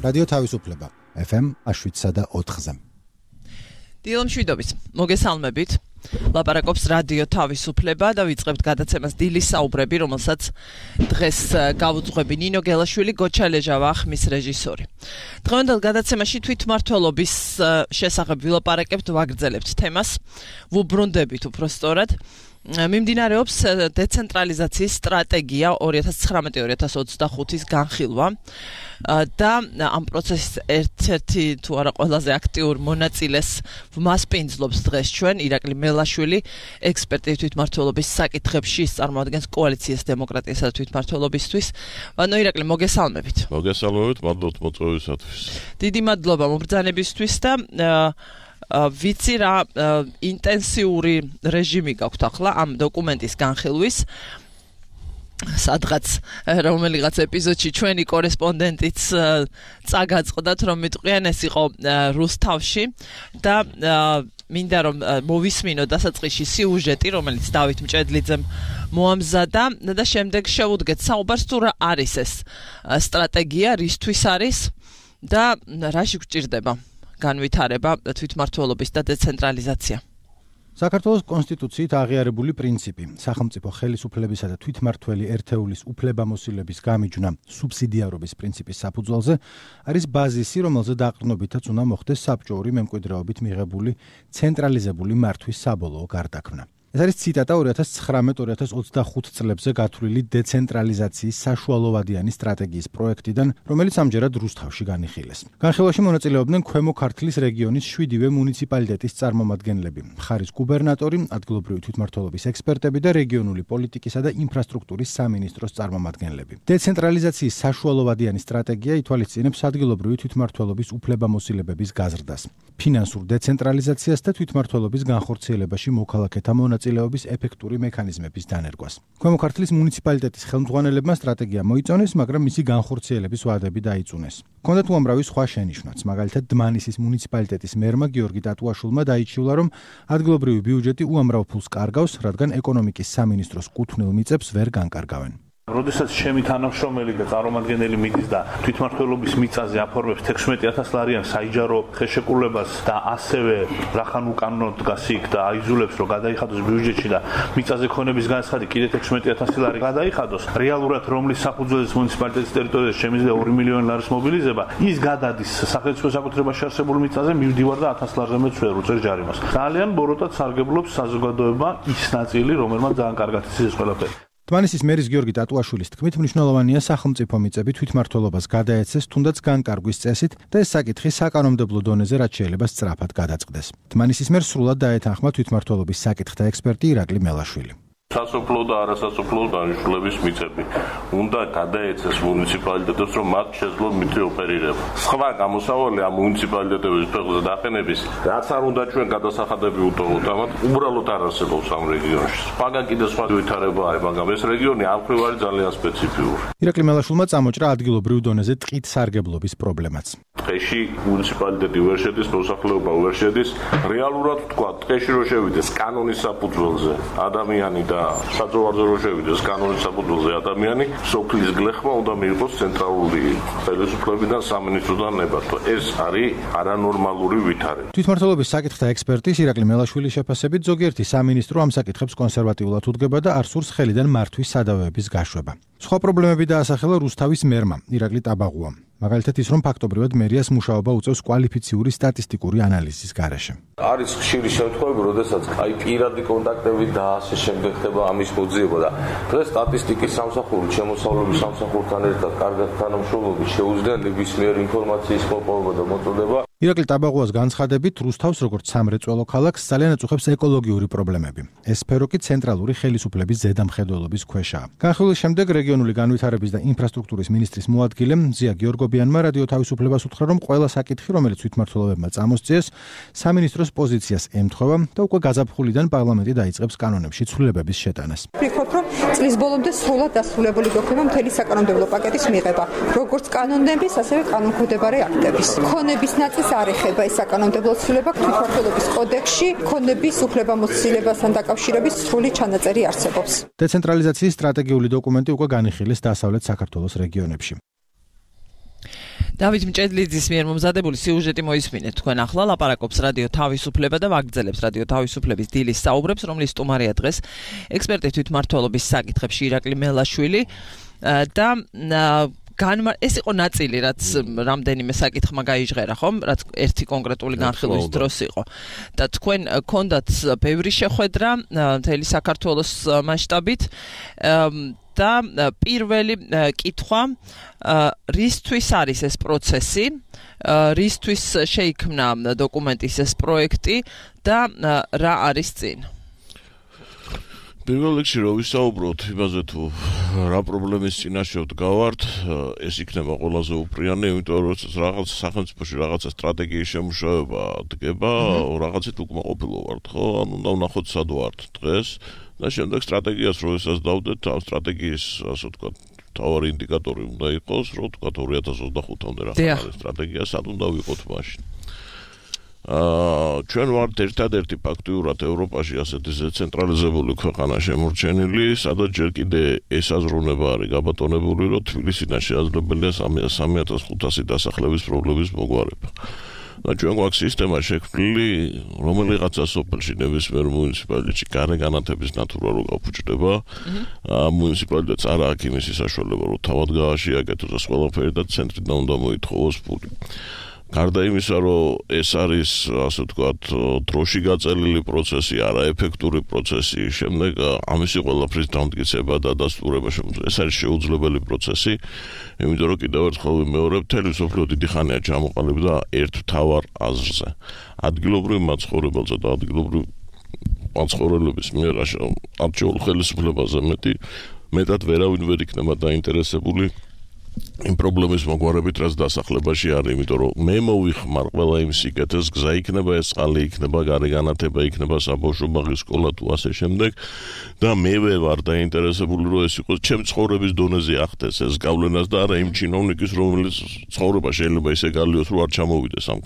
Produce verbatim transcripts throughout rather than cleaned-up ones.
რადიო თავისუფლება ეფ ემ შვიდსა და ოთხზე. დილო მშვიდობით, მოგესალმებით. ლაპარაკობს რადიო თავისუფლება და ვიწყებთ გადაცემას დილის საუბრები, რომელსაც დღეს გავუძღვები ნინო გელაშვილი, გოჩა ლეჟავა, ხმის რეჟისორი. დღევანდელ გადაცემაში თვითმმართველობის შესახებ ვილაპარაკებთ, ვაგრძელებთ თემას, ვუბრუნდებით უფრო სწორად. მიმდინარეობს დეცენტრალიზაციის სტრატეგია ორი ათას ცხრამეტი ორი ათას ოცდახუთის განხილვა და ამ პროცესის ერთ-ერთი თუ არა ყველაზე აქტიურ მონაწილეს მასპინძლობს დღეს ჩვენ ირაკლი მელაშვილი, ექსპერტი თვითმმართველობის საკითხებში, წარმოადგენს კოალიციას დემოკრატიასა და თვითმმართველობისთვის. ანუ ირაკლი, მოგესალმებით. მოგესალმებით, მადლობთ მოწვევისათვის. დიდი მადლობა მობრძანებისთვის და ვიცი რა ინტენსიური რეჟიმი გაქვთ ახლა ამ დოკუმენტის განხილვის. სადღაც რომელიღაც ეპიზოდში ჩვენი კორესპონდენტიც წაგაწყდათ, რომ მიტყვიან ეს იყო რუსთავში და მინდა რომ მოვისმინო დასაწყისში სიუჟეტი, რომელიც დავით მჭედლიძემ მოამზადა და შემდეგ შევუდგეთ საუბარს თუ რა არის ეს სტრატეგია, რისთვის არის და რაში გვჭირდება განვითარება თვითმმართველობის და დეცენტრალიზაცია. საქართველოს კონსტიტუციით აღიარებული პრინციპი, სახელმწიფო ხელისუფლებისა და თვითმმართველი ერთეულის უფლებამოსილების გამიჯვნა სუბსიდიარობის პრინციპის საფუძველზე არის ბაზისი, რომელზე დაყრდნობითაც უნდა მოხდეს საბჭოური მემკვიდრეობით მიღებული ცენტრალიზებული მართვის საბოლოო გარდაქმნა. ეს არის ციტატა ორი ათას ცხრამეტი ორი ათას ოცდახუთ წლებზე გათვლილი დეცენტრალიზაციის საშუალოვადიანი სტრატეგიის პროექტიდან, რომელიც ამჯერად რუსთავში განიხილეს. განხილვაში მონაწილეობდნენ ქვემო ქართლის რეგიონის შვიდივე მუნიციპალიტეტის წარმომადგენლები, მხარის გუბერნატორი, ადგილობრივი თვითმმართველობის ექსპერტები და რეგიონული პოლიტიკისა და ინფრასტრუქტურის სამინისტროს წარმომადგენლები. დეცენტრალიზაციის საშუალოვადიანი სტრატეგია ითვალისწინებს ადგილობრივი თვითმმართველობის უფლებამოსილებების გაზრდას, ფინანსურ დეცენტრალიზაციას და თვითმმართველობის განხორციელებაში მოქალაქეთა მონაწილეობის ეფექტური მექანიზმების დანერგვას. ქვემო ქართლის მუნიციპალიტეტის ხელმძღვანელებმა სტრატეგია მოიწონეს, მაგრამ მისი განხორციელების ვადები დაიწუნეს. ჰქონდათ უამრავი სხვა შენიშვნაც, მაგალითად დმანისის მუნიციპალიტეტის მერმა გიორგი ტატუაშვილმა დაიჩივლა, რომ ადგილობრივი ბიუჯეტი უამრავ ფულს კარგავს, რადგან ეკონომიკის სამინისტროს კუთვნილ მიწებს ვერ განკარგავენ. როდესაც ჩემი თანამშრომელი და წარმომადგენელი მიდის და თვითმმართველობის მიწაზე აფორმებს თექვსმეტი ათას ლარიან საიჯარო ხელშეკრულებას და ასევე რახან უკანონოდ დგას იქ და აიძულებს რომ გადაიხადოს ბიუჯეტში და მიწაზე ქონების განცხადი კიდე თექვსმეტი ათასი ლარი გადაიხადოს, რეალურად რომლის საფუძველზეც მუნიციპალიტეტის ტერიტორიაზე შემიძლია ორი მილიონი ლარის მობილიზება, ის გადადის სახელმწიფო საკუთრებაში არსებულ მიწაზე, მივდივარ და ათას ლარზე მეც ვერ უწერ ჯარიმას. ძალიან ბოროტად სარგებლობს საზოგადოება ის ნაწილი, რომელმაც ძალიან კარგად იცის ყველაფერი. დმანისის მერის გიორგი ტატუაშვილის თქმით, მნიშვნელოვანია სახელმწიფო მიწები თვითმმართველობას გადაეცეს, თუნდაც განკარგვის წესით და ეს საკითხი საკანონმდებლო დონეზე რაც შეიძლება სწრაფად გადაწყდეს. დმანისის მერს სრულად დაეთანხმა თვითმმართველობის საკითხთა ექსპერტი ირაკლი მელაშვილი. სასოფლო და არასასოფლო დანიშნულების მიწები უნდა გადაეცეს მუნიციპალიტეტებს, რომ მათ შეძლო მიწი ოპერირება. სხვა გამოსავალი ამ მუნიციპალიტეტების ფეხზე დაყენების, რაც არ უნდა ჩვენ გადასახადები უტოვოთ, ამათ უბრალოდ არ არსებობს ამ რეგიონში. მაგან კიდე სხვა ვითარება არის, მაგრამ ეს რეგიონი ამ მხრივ არის ძალიან სპეციფიური. ირაკლი მელაშვილმა წამოჭრა ადგილობრივ დონეზე ტყით სარგებლობის პრობლემაც. ტყეში მუნიციპალიტეტი ვერ შედის, მოსახლეობა ვერ შედის. რეალურად თქვა, ტყეში რო შევიდეს კანონის საფუძველზე ადამიანი და საძოვარზე რო შევიდეს კანონის საფუძველზე ადამიანი, სოფლის გლეხმა უნდა მიიღოს ცენტრალური ხელისუფლებიდან, სამინისტროდან ნებართვა. ეს არის არანორმალური ვითარება. თვითმმართველობის საკითხთა ექსპერტის ირაკლი მელაშვილის შეფასებით, ზოგიერთი სამინისტრო ამ საკითხებს კონსერვატიულად უდგება და არ სურს ხელიდან მართვის სადავეების გაშვება. სხვა პრობლემები დაასახელა რუსთავის მერმა, ირაკლი ტაბაღუამ. მაგალითად ის, რომ ფაქტობრივად მერიას მუშაობა უწევს კვალიფიციური სტატისტიკური ანალიზის გარეშე. არის ხშირი შემთხვევები, როდესაც აი პირადი კონტაქტები და ასე შემდეგ ხდება ამის მოძიება და დღეს სტატისტიკის სამსახური, შემოსავლების სამსახურთან ერთად კარგად თანამშრომლობით შეუძლია ნებისმიერ ინფორმაციის მოპოვება და მოწოდება. ირაკლი ტაბაღუას განცხადებით, რუსთავს როგორც სამრეწველო ქალაქს ძალიან აწუხებს ეკოლოგიური პრობლემები. ეს სფერო კი ცენტრალური ხელისუფლების ზედამხედველობის ქვეშაა. განხილვის შემდეგ რეგიონული განვითარების და ინფრასტრუქტურის მინისტრის მოადგილე მზია გიორგობიანმა რადიო თავისუფლებას უთხრა, რომ ყველა საკითხი, რომელიც თვითმმართველობებმა წამოსწიეს, სამინისტროს პოზიციას ემთხვევა და უკვე გაზაფხულიდან პარლამენტი დაიწყებს კანონებში ცვლილებების შეტანას. ვფიქრობ, რომ წლის ბოლომდე სრულად დასრულებული გოქნება მთელი საკანონმდებლო პაკეტის მიღება, როგორც კანონების, ასევე კანონქვემდებარე აქტების. ქონების ნაწილს არ ეხება ეს საკანონმდებლო ცვლილება, თვითმმართველობის კოდექსში ქონების უფლებამოსილებასთან დაკავშირების სრული ჩანაწერი არსებობს. დეცენტრალიზაციის სტრატეგიული დოკუმენტი უკვე განიხილეს დასავლეთ საქართველოს რეგიონებში. დავით მჭედლიძის მიერ მომზადებული სიუჟეტი მოისმინეთ თქვენ ახლა ლაპარაკობს რადიო თავისუფლება და ვაგრძელებს რადიო თავისუფლების დილის საუბრებს, რომლის სტუმარია დღეს ექსპერტი თვითმმართველობის საკითხებში ირაკლი მელაშვილი და განმარ ეს იყო ნაწილი, რაც რამდენიმე საკითხმა გაიჟღერა, ხომ? რაც ერთი კონკრეტული განხილვის დროს იყო. და თქვენ გქონდათ ბევრი შეხვედრა მთელი საქართველოს მასშტაბით და პირველი კითხვა, რისთვის არის ეს პროცესი, რისთვის შეიქმნა დოკუმენტის ეს პროექტი და რა არის წინ? პირველ რიგში რო ვისაუბროთ იმაზე თუ რა პრობლემის წინაშე ვდგავართ, ეს იქნება ყველაზე უპრიანი, იმიტომ რომ რაღაც სახელმწიფოში რაღაცა სტრატეგიის შემუშავება დგება, რაღაცით უკმაყოფილო ვართ, ხო? ანუ უნდა ვნახოთ სად ვართ დღეს და შემდეგ სტრატეგიას რო ესაც დავდეთ, ამ სტრატეგიის, ასე ვთქვათ, თავარი ინდიკატორი უნდა იყოს, რომ ვთქვათ ორი ათას ოცდახუთამდე რა არის სტრატეგია, სად უნდა ვიყოთ მაშინ. აა ჩვენ ვართ ერთადერთი ფაქტიურად ევროპაში ასეთი დეცენტრალიზებული ქვეყანა შემორჩენილი, სადაც ჯერ კიდე ეს აზროვნება არის გაბატონებული, რომ თბილისიდან შესაძლებელია სამი ათას ხუთასი დასახლების პრობლემის მოგვარება. და ჩვენ გვაქვს სისტემა შექმნილი, რომელიღაცა სოფელში ნებისმიერ მუნიციპალიტეტში გარე განათების ნატურა რო გაფუჭდება, მუნიციპალიტეტს არ აქვს იმისი საშუალება, რომ თავად გააშიაგეთოს და ყველაფერი და ცენტრიდან უნდა მოითხოვოს ფული. გარდა იმისა, რომ ეს არის, ასე ვთქვათ, დროში გაწელილი პროცესი, არაეფექტური პროცესი, შემდეგ ამისი ყველაფრის დამტკიცება და დასტურება ეს არის შეუძლებელი პროცესი, იმიტომ რომ კიდევ ერთხელ ვიმეორებ, მთელი მსოფლიო დიდი ხანია ჩამოყალიბდა ერთ მთავარ აზრზე. ადგილობრივ მაცხოვრებელთა და ადგილობრივ მაცხოვრებლების მიერ არჩეულ ხელისუფლებაზე მეტი მეტად ვერავინ ვერ იქნება დაინტერესებული იმ პრობლემის მოგვარებით, რაც დასახლებაში არის, იმიტომ რომ მე მოვიხმარ ყველა იმ სიკეთეს, გზა იქნება, ეს წყალი იქნება, გარე განათება იქნება, საბავშვო ბაღი, სკოლა თუ ასე შემდეგ და მე ვარ დაინტერესებული, რომ ეს იყოს ჩემ ცხოვრების დონეზე ახდეს ეს გავლენას და არა იმ ჩინოვნიკის, რომელიც ცხოვრება შეიძლება ისე გალიოს, რომ არ ჩამოვიდეს ამ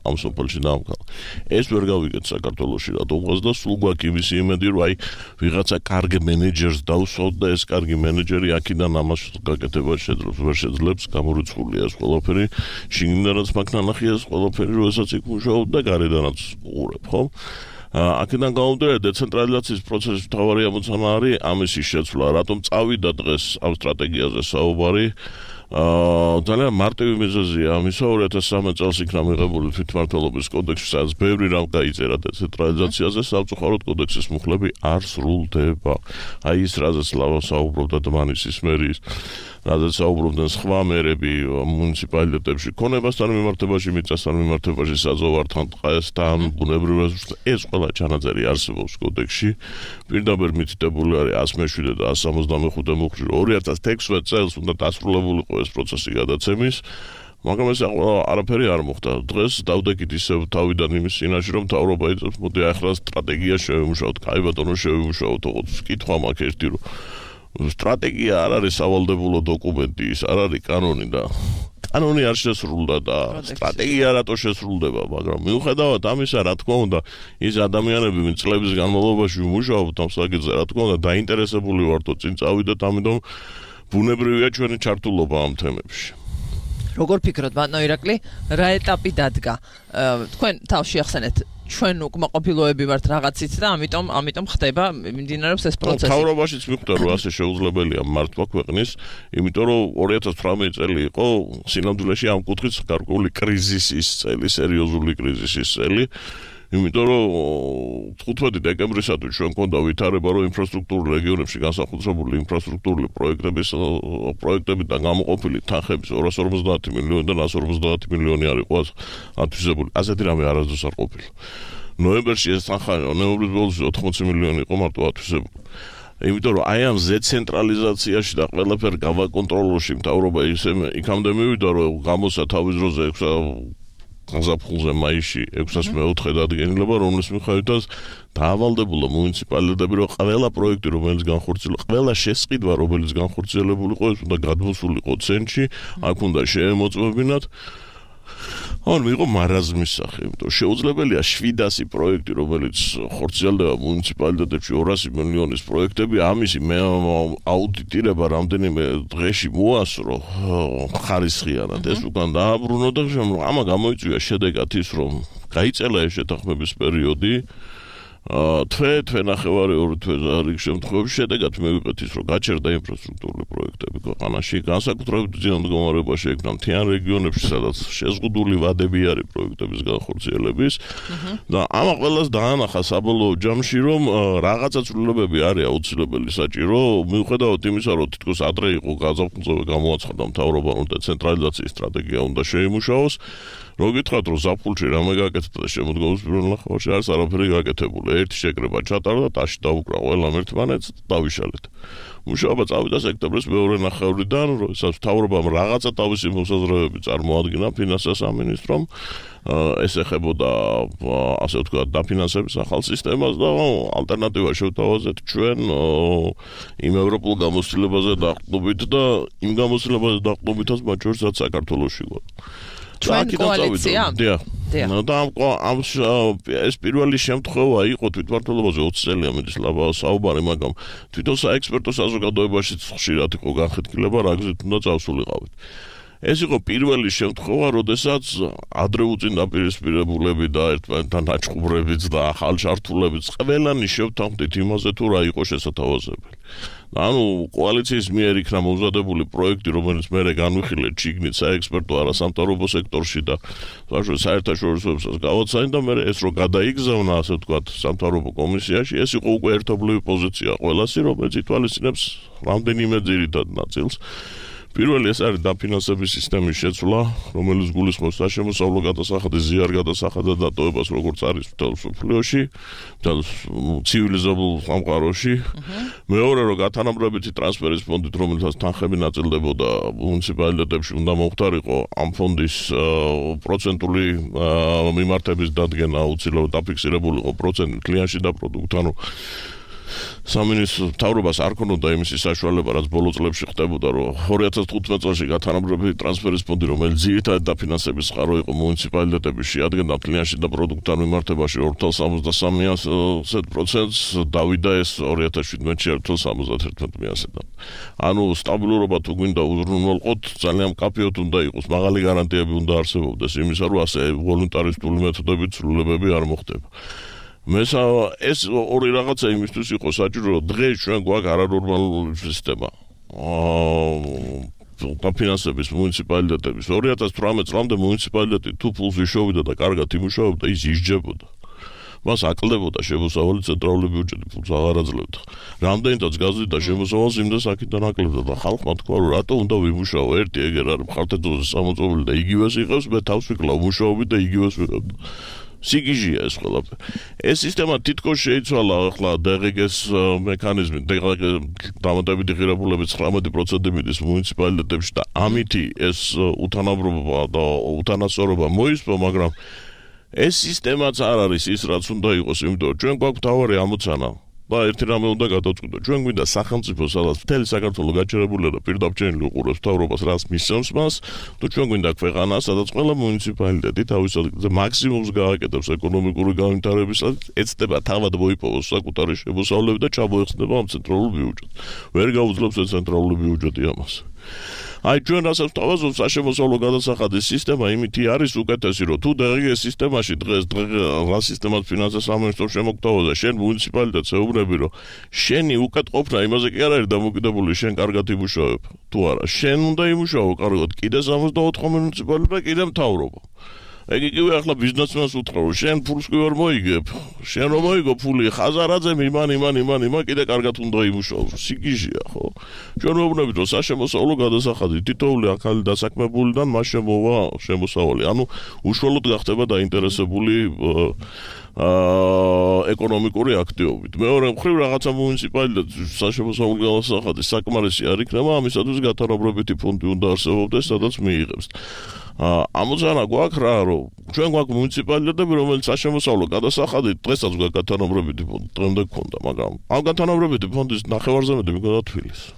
ამ სოფელში და ამ ქალაქში. ეს ვერ გავიგეთ საქართველოში რატომღაც და სულ გვაქვს იმისი იმედი, რომ აი ვიღაცა კარგი მენეჯერს დავსვათ და ეს კარგი მენეჯერი აქედან ამას გაკეთება შეძლებს. შეძლებს გამორიცხულია ეს ყველაფერი, შიგნიდანაც მაგნანახია ეს ყველაფერი, როდესაც იქ მუშაობ და გარედანაც უყურებ, ხო? აქედან გამომდინარე დეცენტრალიზაციის პროცესის მთავარი ამოცანა არის ამის შეცვლა, რატომ წავიდა დღეს ამ სტრატეგიაზე საუბარი. აა ძალიან მარტივი მიზეზია ამისა, ორი ათას სამი წელს იქნა მიღებული თვითმმართველობის კოდექსი, სადაც ბევრი რამ გაიწერა დეცენტრალიზაციაზე, სამწუხაროდ კოდექსის მუხლები არ სრულდება. აი ის რაზეც ლავა საუბრობდა დმანისის მერის, რაზეც საუბრობდნენ სხვა მერები მუნიციპალიტეტებში, ქონებასთან მიმართებაში, მიწასთან მიმართებაში, საზღვართან, ტყესთან, ბუნებრივ რესურსთან, ეს ყველა ჩანაწერი არსებობს კოდექსში. პირდაპირ მითითებული არის ას მეშვიდე და ას სამოცდამეხუთე მუხლი, ორი ათას თექვსმეტ წელს უნდა დასრულებულიყო ეს პროცესი გადაცემის, მაგრამ ეს არაფერი არ მოხდა. დღეს დავდექით ისევ თავიდან იმის წინაშე, რომ მთავრობა იწევს, მოდი ახლა სტრატეგია შევიმუშაოთ, კაი ბატონო შევიმუშაოთ, ოღონდ კითხვა მაქვს ერთი, რომ სტრატეგია არ არის სავალდებულო დოკუმენტი, ის არ არის კანონი და კანონი არ შესრულდა და სტრატეგია რატო შესრულდება, მაგრამ მიუხედავად ამისა, რა თქმა უნდა, ის ადამიანები, ვინც წლების განმავლობაში მუშაობთ ამ საკითხზე, რა თქმა უნდა, დაინტერესებული ვართ, წინ წავიდეთ, ამიტომ ბუნებრივია ჩვენი ჩართულობა ამ თემებში. როგორ ფიქრობთ, ბატონო ირაკლი, რა ეტაპი დადგა? თქვენ თავში ახსენეთ ჩვენ უკმაყოფილოები ვართ რაღაცით და ამიტომ ამიტომ ხდება მიმდინარეობს ეს პროცესი. მთავრობაშიც მიხვდა რომ ასე შეუძლებელია მართვა ქვეყნის, იმიტომ რომ ორი ათას თვრამეტი წელი იყო სინამდვილეში ამ კუთხით გარკვეული კრიზისის წელი, სერიოზული კრიზისის წელი. იმიტომ რომ თხუთმეტი დეკემბრისათვის ჩვენ გვქონდა ვითარება, რომ ინფრასტრუქტურულ რეგიონებში განსახორციელებული ინფრასტრუქტურული პროექტების პროექტებიდან გამოყოფილი თანხების ორას ორმოცდაათი მილიონიდან ას ორმოცდაათი მილიონი არ იყო ათვისებული. ასეთი რამე არასდროს არ ყოფილა. ნოემბერში ეს თანხა ნოემბრის ბოლოს ოთხმოცი მილიონი იყო მარტო ათვისებული. იმიტომ რომ აი ამ ზეცენტრალიზაციაში და ყველაფერ გავაკონტროლოში მთავრობა ისე იქამდე მივიდა, რომ გამოსა თავის დროზე გაზაფხულზე მაისში ექვსას მეოთხე დადგენილება, რომლის მიხედვითაც დაავალდებულა მუნიციპალიტეტები, რომ ყველა პროექტი, რომელიც განხორციელდა, ყველა შესყიდვა, რომელიც განხორციელებულიყო, ეს უნდა გადმოსულიყო ცენტრში, აქ უნდა შეემოწმებინათ. ან მიიღო მარაზმის სახე, იმიტომ შეუძლებელია შვიდასი პროექტი, რომელიც ხორციელდება მუნიციპალიტეტებში ორასი მილიონის პროექტები, ამისი მე აუდიტირება რამდენიმე დღეში მოასრო ხარისხიანად, ეს უკან დააბრუნო და ამა გამოიწვია შედეგად ის, რომ გაიწელა ეს შეთანხმების პერიოდი, თვე, თვე ნახევარი ორი თვე რიგ შემთხვევებში შედეგად მივიღეთ ის, რომ გაჩერდა ინფრასტრუქტურული პროექტები ქვეყანაში, განსაკუთრებით ძლიერ მდგომარეობაში იქნა მთიან რეგიონებში, სადაც შეზღუდული ვადები არის პროექტების განხორციელების და ამა ყველას დაანახა საბოლოო ჯამში, რომ რაღაცა ცვლილებები არის აუცილებელი საჭირო, მიუხედავად იმისა, რომ თითქოს ადრე იყო გაზაფხულზე გამოაცხადა მთავრობამ, რომ დეცენტრალიზაციის სტრატეგია უნდა შეიმუშაოს. რო გითხრათ, რომ ზაფხულში რამე გაკეთდა და შემოდგომის პირველ ნახევარში არის არაფერი გაკეთებული. ერთი შეკრება ჩატარდა, ტაში დაუკრა ყველამ ერთმანეთს, დავიშალეთ. მუშაობა წავიდა სექტემბრის მეორე ნახევრიდან, როდესაც მთავრობამ რაღაცა თავისი მოსაზრებები წარმოადგინა ფინანსთა სამინისტრომ, ეს ეხებოდა ასე ვთქვათ, დაფინანსების ახალ სისტემას და ალტერნატივა შევთავაზეთ ჩვენ იმ ევროპულ გამოცდილებაზე დაყრდნობით და იმ გამოცდილებაზე დაყრდნობითაც მათ შორის რაც საქართველოში გვაქვს. ჩვენ კოალიცია? დიახ. და ამ ეს პირველი შემთხვევა იყო თვითმმართველობაზე ოცი წელია მედის საუბარი, მაგრამ თვითონ საექსპერტო საზოგადოებაშიც ხშირად იყო განხეთქილება, რა გზით უნდა წავსულიყავით. ეს იყო პირველი შემთხვევა, როდესაც ადრე უწინდაპირისპირებულები და ერთმანეთთან დაჭყუბრებიც და ახალ ჩართულებიც ყველანი შევთანხმდით იმაზე, თუ რა იყო შესათავაზებელი. ანუ კოალიციის მიერ იქნა მომზადებული პროექტი, რომელიც მერე განვიხილეთ შიგნით საექსპერტო არასამთავრობო სექტორში და საერთაშორისოებსაც გავაცანი და მერე ეს რო გადაიგზავნა, ასე ვთქვათ, სამთავრობო კომისიაში, ეს იყო უკვე ერთობლივი პოზიცია ყველასი, რომელიც ითვალისწინებს რამდენიმე ძირითად ნაწილს. პირველი ეს არის დაფინანსების სისტემის შეცვლა, რომელიც გულისხმობს საშემოსავლო გადასახადის ზიარ გადასახადად დატოვებას, როგორც არის მთელ მსოფლიოში, მთელ ცივილიზებულ სამყაროში. მეორე, რომ გათანაბრებითი ტრანსფერის ფონდით, რომელსაც თანხები ნაწილდებოდა მუნიციპალიტეტებში, უნდა მოხდარიყო ამ ფონდის პროცენტული მიმართების დადგენა, აუცილებლად დაფიქსირებულიყო პროცენტი კლიანში და პროდუქტ, ანუ სამინისტრო მთავრობას არ ქონოდა იმისი საშუალება, რაც ბოლო წლებში ხდებოდა, რომ ორი ათას თხუთმეტ წელში გათანაბრებითი ტრანსფერის ფონდი, რომელიც ძირითადად დაფინანსების წყარო იყო მუნიციპალიტეტებში, შეადგენდა კლიანში და პროდუქტთან მიმართებაში ორ ათას სამოცდასამი პროცენტს, დავიდა ეს ორი ათას შვიდმეტში ერთ ათას სამოცდაერთი პროცენტად. ანუ სტაბილურობა თუ გვინდა უზრუნველყოთ, ძალიან მკაფიოდ უნდა იყოს, მაღალი გარანტიები უნდა არსებობდეს იმისა, რომ ასე ვოლუნტარისტული მეთოდებით ცვლილებები არ მოხდება. მესა ეს ორი რაღაცა იმისთვის იყო საჭირო, რომ დღეს ჩვენ გვაქვს არანორმალური სისტემა. აა დაფინანსების მუნიციპალიტეტების ორი ათას თვრამეტ წლამდე მუნიციპალიტეტი თუ ფულს იშოვიდა და კარგად იმუშავებდა, ის ისჯებოდა. მას აკლდებოდა შემოსავალი ცენტრალური ბიუჯეტი, ფულს აღარ აძლევდა. რამდენადაც გაზრდიდა შემოსავალს, იმდენს აქედან აკლებდა და ხალხმა თქვა, რომ რატო უნდა ვიმუშაო, ერთი ეგერ არის მხარდაჭერაზე სამოწმობილი და იგივეს იყავს, მე თავს ვიკლავ მუშაობით და იგივეს ვიღებ. სიგიჟია ეს ყველაფერი. ეს სისტემა თითქოს შეიცვალა ახლა დე ღე გეს მექანიზმი, დამატებითი ღირებულების ცხრამეტი პროცენტი მიდის მუნიციპალიტეტებში და ამითი ეს უთანაბრობა და უთანასწორობა მოისპო, მაგრამ ეს სისტემაც არ არის ის, რაც უნდა იყოს, იმიტომ რომ ჩვენ გვაქვს მთავარი ამოცანა და ერთი რამე უნდა გადავწყვიტოთ. ჩვენ გვინდა სახელმწიფო, სადაც მთელი საქართველო გაჩერებულია და პირდაპირ უყურებს მთავრობას, რაც მისცემს მას, თუ ჩვენ გვინდა ქვეყანა, სადაც ყველა მუნიციპალიტეტი თავის ადგილზე მაქსიმუმს გააკეთებს ეკონომიკური განვითარებისას, ეცდება თავად მოიპოვოს საკუთარი შემოსავლები და ჩამოეხსნება ამ ცენტრალურ ბიუჯეტს. ვერ გაუძლებს ეს ცენტრალური ბიუჯეტი ამას. აი ჩვენ რასაც ვთავაზობთ, საშემოსავლო გადასახადის სისტემა იმითი არის უკეთესი, რომ თუ დღეს სისტემაში დღეს რა სისტემას ფინანსთა სამინისტრო შემოგთავაზა, შენ მუნიციპალიტეტს ეუბნები, რომ შენი უკეთყოფნა იმაზე კი არ არის დამოკიდებული, შენ კარგად იმუშავებ თუ არა. შენ უნდა იმუშაო კარგად, კიდე სამოცდაოთხი მუნიციპალიტეტი და კიდე მთავრობა. ეგ იგივე ახლა ბიზნესმენს უთხრა, რომ შენ ფულს კი ვერ მოიგებ. შენ რომ მოიგო ფული, ხაზარაძემ იმან, იმან, იმან, იმან კიდე კარგად უნდა იმუშაოს. სიგიჟია, ხო? ჩვენ ვეუბნებით, რომ საშემოსავლო გადასახადი თითოეული ახალი დასაქმებულიდან მას შემოვა შემოსავალი. ანუ უშუალოდ გახდება დაინტერესებული აა ეკონომიკური აქტივობით. მეორე მხრივ რაღაცა მუნიციპალიტეტის საშემოსავლო გადასახადი საკმარისი არ იქნება, ამისათვის გათანაბრებითი ფონდი უნდა არსებობდეს, სადაც მიიღებს. ამოცანა გვაქვს რა, რომ ჩვენ გვაქვს მუნიციპალიტეტები, რომელიც საშემოსავლო გადასახადით დღესაც გვაქვს გათანაბრებითი ფონდი, დღემდე გქონდა, მაგრამ ამ გათანაბრებითი ფონდის ნახევარზე მეტი მიგონდა თბილისი.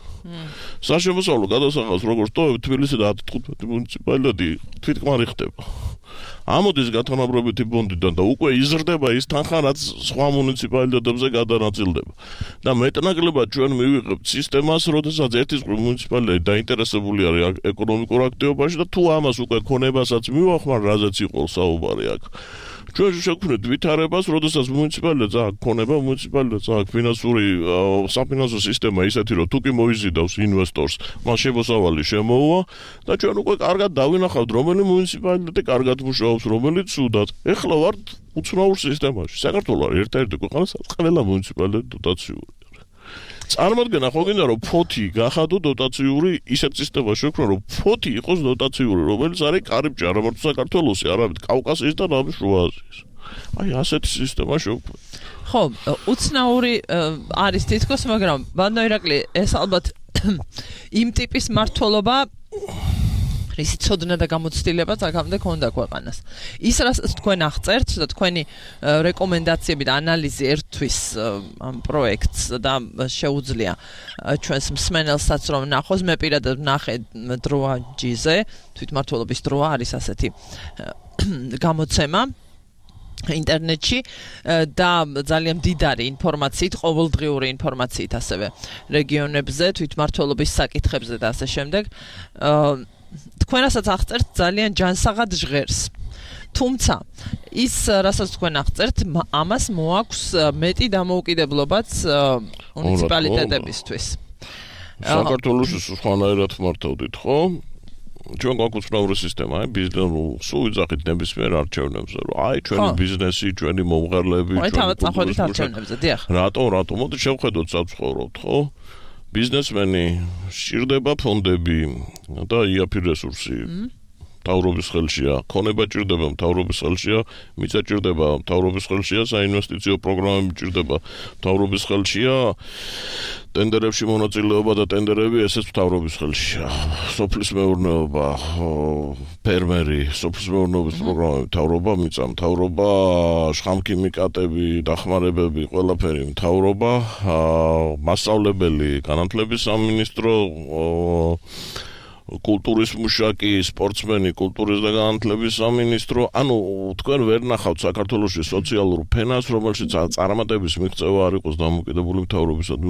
საშემოსავლო გადასახადს როგორც ტოვებ, თბილისი და ათი თხუთმეტი მუნიციპალიტეტი თვითკმარი ხდება. ამოდის გათანაბრობითი ბონდიდან და უკვე იზრდება ის თანხა, რაც სხვა მუნიციპალიტეტებზე გადანაწილდება. და მეტნაკლებად ჩვენ მივიღებთ სისტემას, როდესაც ერთის მუნიციპალიტეტი დაინტერესებული არის ეკონომიკურ აქტივობაში და თუ ამას უკვე ქონებასაც მივახმარ, რაზეც იყო საუბარი აქ. ჩვენ შევქმნით ვითარებას, როდესაც მუნიციპალიტეტს აქვს ქონება, მუნიციპალიტეტს აქვს ფინანსური საფინანსო სისტემა ისეთი, რომ თუ კი მოიზიდავს ინვესტორს, მას შემოსავალი შემოუვა და ჩვენ უკვე კარგად დავინახავთ, რომელი მუნიციპალიტეტი კარგად მუშაობს, რომელიც ცუდად. ეხლა ვართ უცნაურ სისტემაში. საქართველოს არის ერთ-ერთი ქვეყანა, სადაც ყველა მუნიციპალიტეტი დოტაციური. წარმოადგენა ხო გინდა რომ ფოთი გახადო დოტაციური ისეთ სისტემაში შექმნა რომ ფოთი იყოს დოტაციური რომელიც არის კარიბჭე არა მარტო საქართველოსი არამედ კავკასიის და ნამის შუა აზიის აი ასეთი სისტემა შექმნა ხო უცნაური არის თითქოს მაგრამ ბანო ირაკლი ეს ალბათ იმ ტიპის მართლობა რისი ცოდნა და გამოცდილება აქამდე ქონდა ქვეყანას. ის რასაც თქვენ აღწერთ და თქვენი რეკომენდაციები და ანალიზი ერთვის ამ პროექტს და შეუძლია ჩვენს მსმენელსაც რომ ნახოს მე პირადად ნახე დროაჯიზე თვითმმართველობის დროა არის ასეთი გამოცემა ინტერნეტში და ძალიან მდიდარი ინფორმაციით, ყოველდღიური ინფორმაციით ასევე რეგიონებზე, თვითმმართველობის საკითხებზე და ასე შემდეგ. თქვენასაც აღწერთ ძალიან ჯანსაღად ჟღერს. თუმცა ის რასაც თქვენ აღწერთ, ამას მოაქვს მეტი დამოუკიდებლობაც მუნიციპალიტეტებისთვის. საქართველოში სხვანაირად მართავდით, ხო? ჩვენ გვაქვს უცნაური სისტემა, ბიზნესს სულ ვიძახით ნებისმიერ არჩევნებზე, რომ აი ჩვენი ბიზნესი, ჩვენი მომღერლები, ჩვენი თავად წახვალით არჩევნებზე, დიახ. რატო, რატო? მოდი შევხედოთ საცხოვროთ, ხო? ბიზნესმენი სჭირდება ფონდები და იაფი რესურსი. მთავრობის ხელშია, ქონება ჭირდება მთავრობის ხელშია, მიწა ჭირდება მთავრობის ხელშია, საინვესტიციო პროგრამები ჭირდება მთავრობის ხელშია, ტენდერებში მონაწილეობა და ტენდერები ესეც მთავრობის ხელშია. სოფლის მეურნეობა, ფერმერი, სოფლის მეურნეობის პროგრამები მთავრობა, მიწა მთავრობა, შხამქიმიკატები, დახმარებები, ყველაფერი მთავრობა, მასწავლებელი, განათლების სამინისტრო, კულტურის მუშაკი, სპორტსმენი, კულტურის და განათლების სამინისტრო, ანუ თქვენ ვერ ნახავთ საქართველოში სოციალურ ფენას, რომელშიც წარმატების მიღწევა არ იყოს დამოკიდებული მთავრობისადმი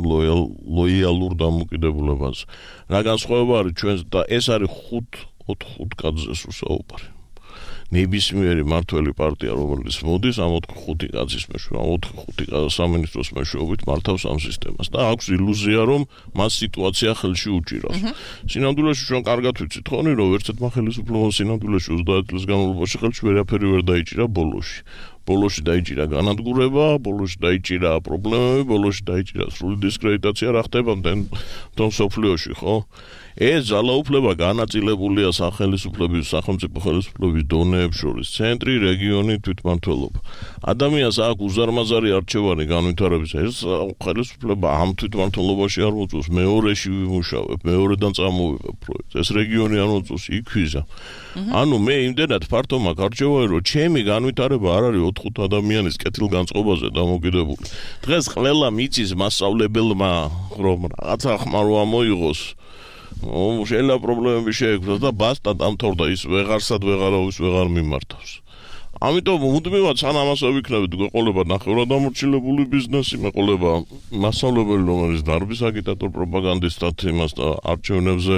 ლოიალურ დამოკიდებულებაზე. რა განსხვავება არის ჩვენს და ეს არის ხუთ ოთხ კაცზე საუბარი. ნებისმიერი მართველი პარტია, რომელიც მოდის, ამ ოთხ-ხუთი კაცის მეშვეობით, ოთხ-ხუთი სამინისტროს მეშვეობით მართავს ამ სისტემას და აქვს ილუზია, რომ მას სიტუაცია ხელში უჭირავს. სინამდვილეში ჩვენ კარგად ვიცით ხონი, რომ ერთადმა ხელისუფლებამ სინამდვილეში ოცდაათი წლის განმავლობაში ხელში ვერაფერი ვერ დაიჭირა ბოლოში. ბოლოში დაიჭირა განადგურება, ბოლოში დაიჭირა პრობლემები, ბოლოში დაიჭირა სრული დისკრედიტაცია, რა ხდება თვითონ სოფლიოში, ხო? ეს ძალაუფლება განაწილებულია სახელმწიფოების, სახელმწიფო ხელისუფლების დონეებს შორის, ცენტრი, რეგიონი, თვითმმართველობა. ადამიანს აქვს უზარმაზარი არჩევანი განვითარების, ეს ხელისუფლება ამ თვითმმართველობაში არ მოწევს, მეორეში ვიმუშავებ, მეორედან წამოვიღებ პროექტს. ეს რეგიონი არ მოწევს, იქ ვიზა. ანუ მე იმდენად ფართო მაქვს არჩევანი, რომ ჩემი განვითარება არ არის ოთხ-ხუთ ადამიანის კეთილგანწყობაზე დამოკიდებული. დღეს ყველა მიწის მასწავლებელმა რომ რაღაცა ხმარო მოიღოს ო შეიძლება პრობლემები შეექმნას და ბასტა დამთავრდა ის ვეღარსად ვეღარავის ვეღარ მიმართავს. ამიტომ მუდმივად სანამ ასე ვიქნებით გვეყოლება ნახევრადამორჩილებული ბიზნესი, მეყოლება მასწავლებელი, რომელიც დარბის აგიტატორ პროპაგანდისტად იმას და არჩევნებზე,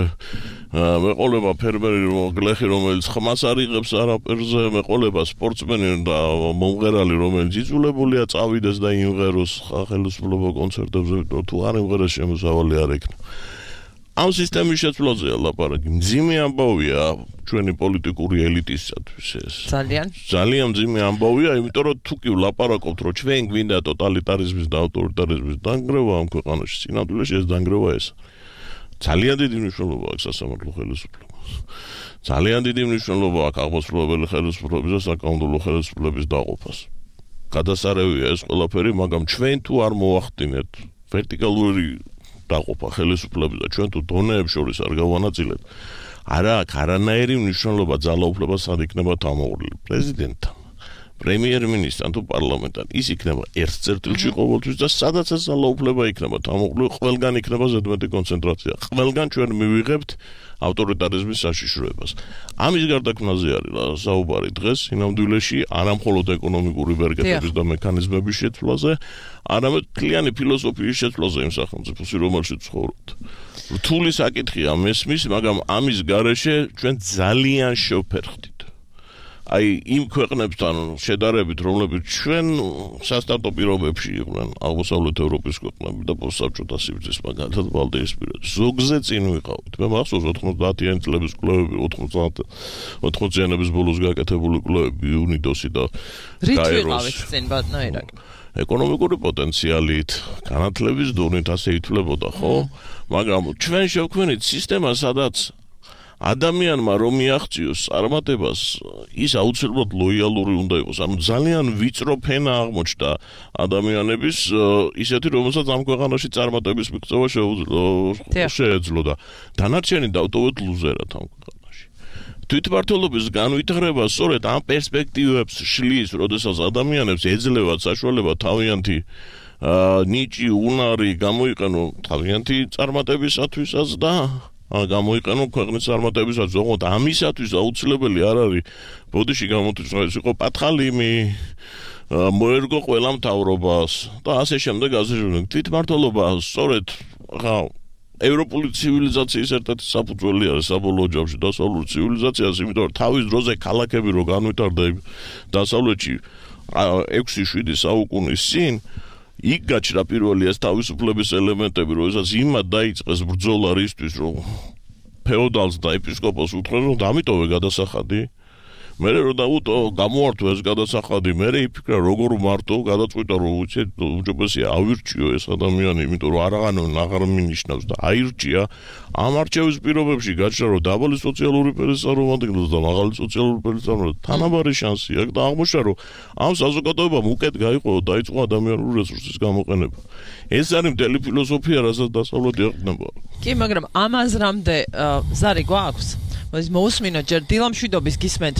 მეყოლება ფერმერი, გლეხი, რომელიც ხმას არ იღებს არაფერზე, მეყოლება სპორტსმენი და მომღერალი, რომელიც იძულებულია წავიდეს და იმღეროს ხელისუფლება კონცერტებზე, თუ არ იმღერეს შემოსავალი არ ექნება. ამ სისტემის შეცვლაზეა ლაპარაკი. მძიმე ამბავია ჩვენი პოლიტიკური ელიტისათვის ეს. ძალიან. ძალიან მძიმე ამბავია, იმიტომ რომ თუ კი ვლაპარაკობთ, რომ ჩვენ გვინდა ტოტალიტარიზმის და ავტორიტარიზმის დანგრევა ამ ქვეყანაში, სინამდვილეში ეს დანგრევა ეს. ძალიან დიდი მნიშვნელობა აქვს სასამართლო ხელისუფლებას. ძალიან დიდი მნიშვნელობა აქვს აღმასრულებელი ხელისუფლების და საკანონმდებლო ხელისუფლების დაყოფას. გადასარევია ეს ყველაფერი, მაგრამ ჩვენ თუ არ მოახდინეთ ვერტიკალური დაყოფა ხელისუფლების და ჩვენ თუ დონეებს შორის არ გავანაწილეთ, არა აქ არანაირი მნიშვნელობა ძალაუფლებას არ იქნება თამოყრილი პრეზიდენტთან. პრემიერ-მინისტრთან თუ პარლამენტთან, ის იქნება ერთ წერტილში ყოველთვის და სადაცაც ძალაუფლება იქნება, თამოყრილი ყველგან იქნება ზედმეტი კონცენტრაცია. ყველგან ჩვენ მივიღებთ ავტორიტარიზმის საშიშროებას. ამის გარდაქმნაზე არის საუბარი დღეს სინამდვილეში არა მხოლოდ ეკონომიკური ბერგეთების და მექანიზმების შეცვლაზე, არამედ მთლიანი ფილოსოფიის შეცვლაზე იმ სახელმწიფოში, რომელშიც ცხოვრობთ. რთული საკითხია მესმის, მაგრამ ამის გარეშე ჩვენ ძალიან შევფერხდით. აი იმ ქვეყნებთან შედარებით, რომლებიც ჩვენ სასტარტო პირობებში იყვნენ, აღმოსავლეთ ევროპის ქვეყნები და პოსტსაბჭოთა სივრცის მაგალითად ბალტიისპირეთში. ზოგზე წინ ვიყავით. მე მახსოვს ოთხმოცდაათიანი წლების კვლევები, ოცდაათიანების ბოლოს გაკეთებული კვლევები იუნიდოსი და რით ვიყავით წინ ბატონო ერაკ? ეკონომიკური პოტენციალით, განათლების დონით ასე ითვლებოდა, ხო? მაგრამ ჩვენ შევქმნით სისტემა, სადაც ადამიანმა რომ მიაღწიოს წარმატებას, ის აუცილებლად ლოიალური უნდა იყოს. ანუ ძალიან ვიწრო ფენა აღმოჩნდა ადამიანების ისეთი, რომელსაც ამ ქვეყანაში წარმატების მიღწევა შეეძლო და დანარჩენი დავტოვეთ ლუზერად ამ ქვეყანაში. თვითმმართველობის განვითარება სწორედ ამ პერსპექტივებს შლის, როდესაც ადამიანებს ეძლევათ საშუალება თავიანთი ნიჭი, უნარი გამოიყენო თავიანთი წარმატებისათვისაც და გამოიყენო ქვეყნის წარმატებისას, ოღონდ ამისათვის აუცილებელი არ არის ბოდიში გამოთვლა ეს იყო პათხალიმი, მოერგო ყველა მთავრობას და ასე შემდეგ, ასე შემდეგ. თვითმმართველობა სწორედ ხა ევროპული ცივილიზაციის ერთ-ერთი საფუძველი არის საბოლოო ჯამში დასავლური ცივილიზაციას, იმიტომ რომ თავის დროზე ქალაქები რო განვითარდა დასავლეთში ექვსი შვიდი საუკუნის წინ იქ გაჩნდა პირველი ეს თავისუფლების ელემენტები, როდესაც იმად დაიწყეს ბრძოლა რისთვის, რომ ფეოდალს და ეპისკოპოსს უთხრეს, რომ დამიტოვე გადასახადი. მერე რომ დაუტო გამოართვა ეს გადასახადი, მერე იფიქრა როგორ მარტო გადაწყვიტა, რომ უცეთ უჯობესია ავირჩიო ეს ადამიანი, იმიტომ რომ არაღანონ აღარ მინიშნავს და აირჩია. ამ არჩევის პირობებში გაჩნდა, რომ დაბალი სოციალური ფერის წარმომადგენლებს და მაღალი სოციალური ფერის წარმომადგენლებს თანაბარი შანსი აქვს და აღმოჩნდა, რომ ამ საზოგადოებამ უკეთ გაიყო და დაიწყო ადამიანური რესურსის გამოყენება. ეს არის მთელი ფილოსოფია, რასაც დასავლეთი ეყრდნობა. კი, მაგრამ ამ აზრამდე ზარი გვაქვს? მოდის მოусმინოთ ჯერ დილამშვიდობის გისმენთ.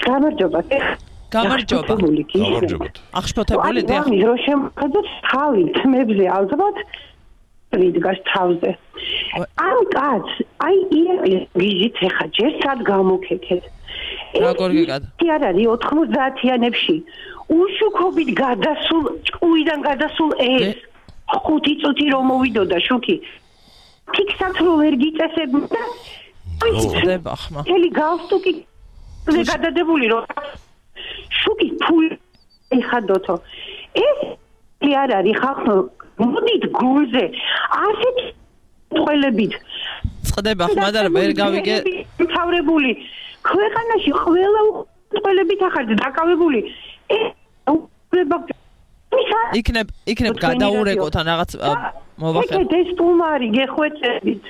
გამარჯობა. გამარჯობა. გამარჯობა. აღშფოთებული და აი, რომ შემოხდეთ თავი თმებზე ალბათ რიდგას თავზე. ამ კაც, აი იგით ეხა ჯერ სად გამოგეკეთ. როგორ გეკად? კი არ არის ოთხმოცდაათიანებში უშუქობით გადასულ, ჭკუიდან გადასულ ეს ხუთი წუთი რომ მოვიდოდა შუქი. ფიქსად რო ვერ გიწესებდა. ხდება ხმა. ელი გავსტუკი ზე გადადებული რომ შუქი ფული ეხადოთო. ეს კი არ არის ხახო მოდით გულზე ასეთ ყველებით წდება ხმა და ვერ გავიგე თავრებული ქვეყანაში ყველა ყველებით ახალ დაკავებული იქნებ იქნებ გადაურეკოთ ან რაღაც მოვახერხოთ ეს სტუმარი გეხვეწებით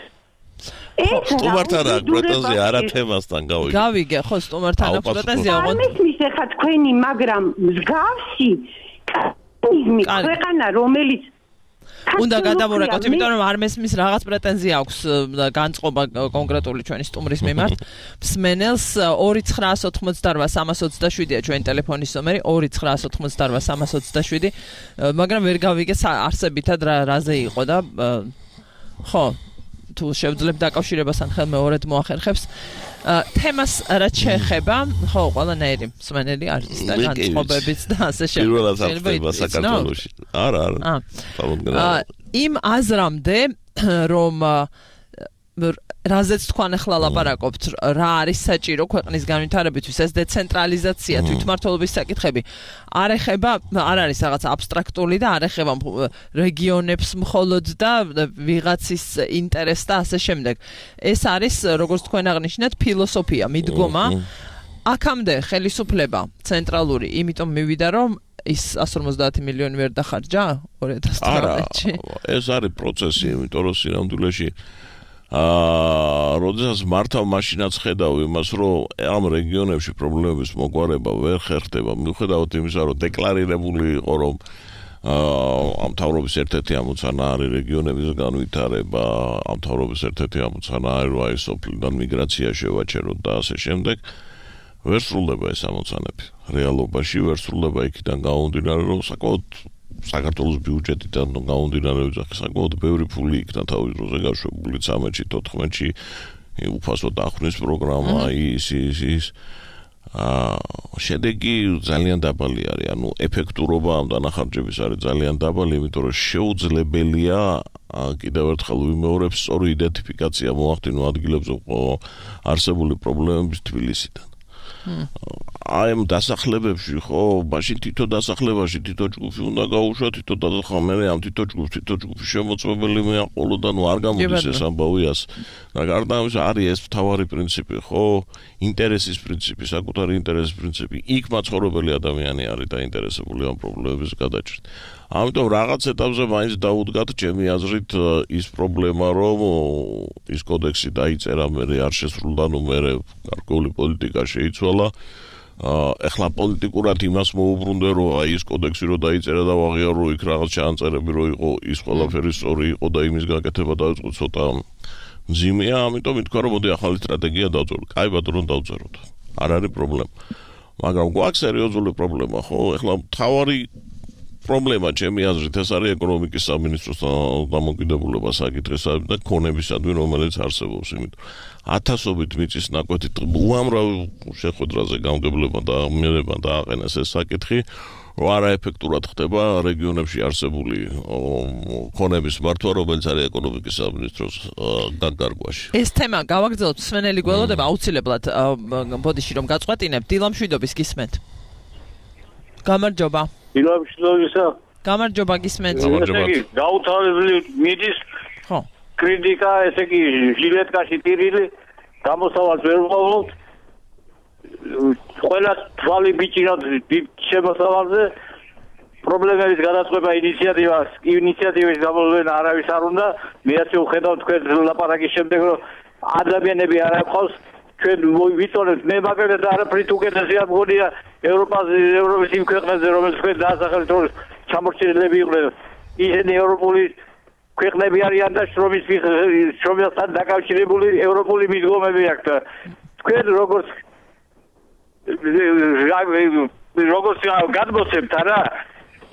ეს სტუმართან აქვს პრეტენზია არა თემასთან გავიგე გავიგე ხო სტუმართან აქვს პრეტენზია ოღონდ ამის ეხა თქვენი მაგრამ მსგავსი მიზმი ქვეყანა რომელიც უნდა გადავურეკოთ, იმიტომ რომ არ მესმის რაღაც პრეტენზია აქვს განწყობა კონკრეტული ჩვენი სტუმრის მიმართ. მსმენელს ორი ცხრაას ოთხმოცდაოთხ სამას ოცდაშვიდია ჩვენი ტელეფონის ნომერი ორი ცხრაას ოთხმოცდაოთხ სამას ოცდაშვიდი, მაგრამ ვერ გავიგე არსებითად რაზე იყო და ხო, თუ შევძლებ დაკავშირებას ან ხელმეორედ მოახერხებს. თემას რაც შეეხება, ხო, ყველანაირი მსმენელი არის და განწყობებიც და ასე შემდეგ. პირველად ახდება საქართველოში. არა, არა. იმ აზრამდე რომ რაზეც თქვენ ახლა ლაპარაკობთ, რა არის საჭირო ქვეყნის განვითარებისთვის, ეს დეცენტრალიზაცია, თვითმმართველობის საკითხები არ ეხება, არ არის რაღაც აბსტრაქტული და არ ეხება რეგიონებს მხოლოდ და ვიღაცის ინტერესს და ასე შემდეგ. ეს არის, როგორც თქვენ აღნიშნეთ, ფილოსოფია, მიდგომა. აქამდე ხელისუფლება ცენტრალური, იმიტომ მივიდა, რომ ის εκατს ორმოცდაათი მილიონი ვერ დახარჯა ორი ათას თვრამეტში. ეს არის პროცესი, იმიტომ რომ სინამდვილეში აა, როდესაც მართავ მაშინაც ხედავ იმას, რომ ამ რეგიონებში პრობლემების მოგვარება ვერ ხერხდება, მიუხედავად იმისა, რომ დეკლარირებული იყო, რომ აა, ამ თავრობის ერთ-ერთი ამოცანა არის რეგიონების განვითარება, ამ თავრობის ერთ-ერთი ამოცანა არის, რომ აი სოფლიდან მიგრაცია შევაჩეროთ და ასე შემდეგ. ვერ სრულდება ეს ამოცანები. რეალობაში ვერ სრულდება იქიდან გამომდინარე, რომ საკმაოდ საქართველოს ბიუჯეტიდან გამომდინარე ვიძახი საკმაოდ ბევრი ფული იქნა თავის დროზე გაშვებული ცხრამეტში, თოთხმეტში უფასო დახვრნის პროგრამა ის ის ის აა შედეგი ძალიან დაბალი არის, ანუ ეფექტურობა ამ დანახარჯების არის ძალიან დაბალი, იმიტომ რომ შეუძლებელია კიდევ ერთხელ ვიმეორებ სწორი იდენტიფიკაცია მოახდინო ადგილებზე არსებული პრობლემების თბილისიდან. აი ამ დასახლებებში ხო, მაშინ თითო დასახლებაში თითო ჯგუფი უნდა გაუშვა, თითო დასახმერე ამ თითო ჯგუფს თითო ჯგუფის შემოწმებელი მეაყოლო და ნუ არ გამოდის ეს ამბავიას. და გარდა ამისა არის ეს მთავარი პრინციპი, ხო, ინტერესის პრინციპი, საკუთარი ინტერესის პრინციპი. იქ მაცხოვრებელი ადამიანი არის დაინტერესებული ამ პრობლემების გადაჭრით. ამიტომ რაღაც ეტაპზე მაინც დაუდგათ ჩემი აზრით ის პრობლემა, რომ ის კოდექსი დაიწერა, მერე არ შესრულდა, ნუ მერე გარკვეული პოლიტიკა შეიცვალა. ეხლა პოლიტიკურად იმას მოუბრუნდე, რომ აი ის კოდექსი რო დაიწერა და ვაღიარო იქ რაღაც ჩაანწერები რო იყო, ის ყველაფერი სწორი იყო და იმის გაკეთება დაიწყო ცოტა მძიმეა, ამიტომ ითქვა, რომ მოდი ახალი სტრატეგია დავწეროთ. კაი ბატონო, დავწეროთ. არ არის პრობლემა. მაგრამ გვაქვს სერიოზული პრობლემა, ხო? ეხლა მთავარი პრობლემა ჩემი აზრით ეს არის ეკონომიკის სამინისტროს დამოკიდებულება საკითხისა და ქონებისადმი, რომელიც არსებობს, იმიტომ ათასობით მიწის ნაკვეთით უამრავ შეხვედრაზე გამგებლება და მიერება დააყენეს ეს საკითხი, რომ არაეფექტურად ხდება რეგიონებში არსებული ქონების მართვა, რომელიც არის ეკონომიკის სამინისტროს განკარგვაში. ეს თემა გავაგრძელოთ, სვენელი გველოდება აუცილებლად ბოდიში რომ გაწყვეტინებ, დილამშვიდობის გისმენთ. გამარჯობა. დილამშვიდობისა. გამარჯობა გისმენთ. გამარჯობა. გაუთავებელი მიდის. ხო. კრიტიკა, ესე იგი, ჟილეტკაში ტირილი, გამოსავალს ვერ ვყოლოთ. ყველა თვალი ბიჭირად შემოსავალზე პრობლემების გადაწყვეტა ინიციატივას, ინიციატივის გამოვლენა არავის არ უნდა. მეც ვხედავ თქვენ ლაპარაკის შემდეგ, რომ ადამიანები არ აყავს ჩვენ ვიცოდეთ მე მაგალითად და არაფრით უკეთესია მგონია ევროპაზე, ევროპის იმ ქვეყნებზე, რომელიც თქვენ დაასახელეთ, რომ ჩამორჩენილები იყვნენ. ისინი ევროპული ქვეყნები არიან და შრომის შრომასთან დაკავშირებული ევროპული მიდგომები აქვთ. თქვენ როგორც როგორც გადმოცემთ არა,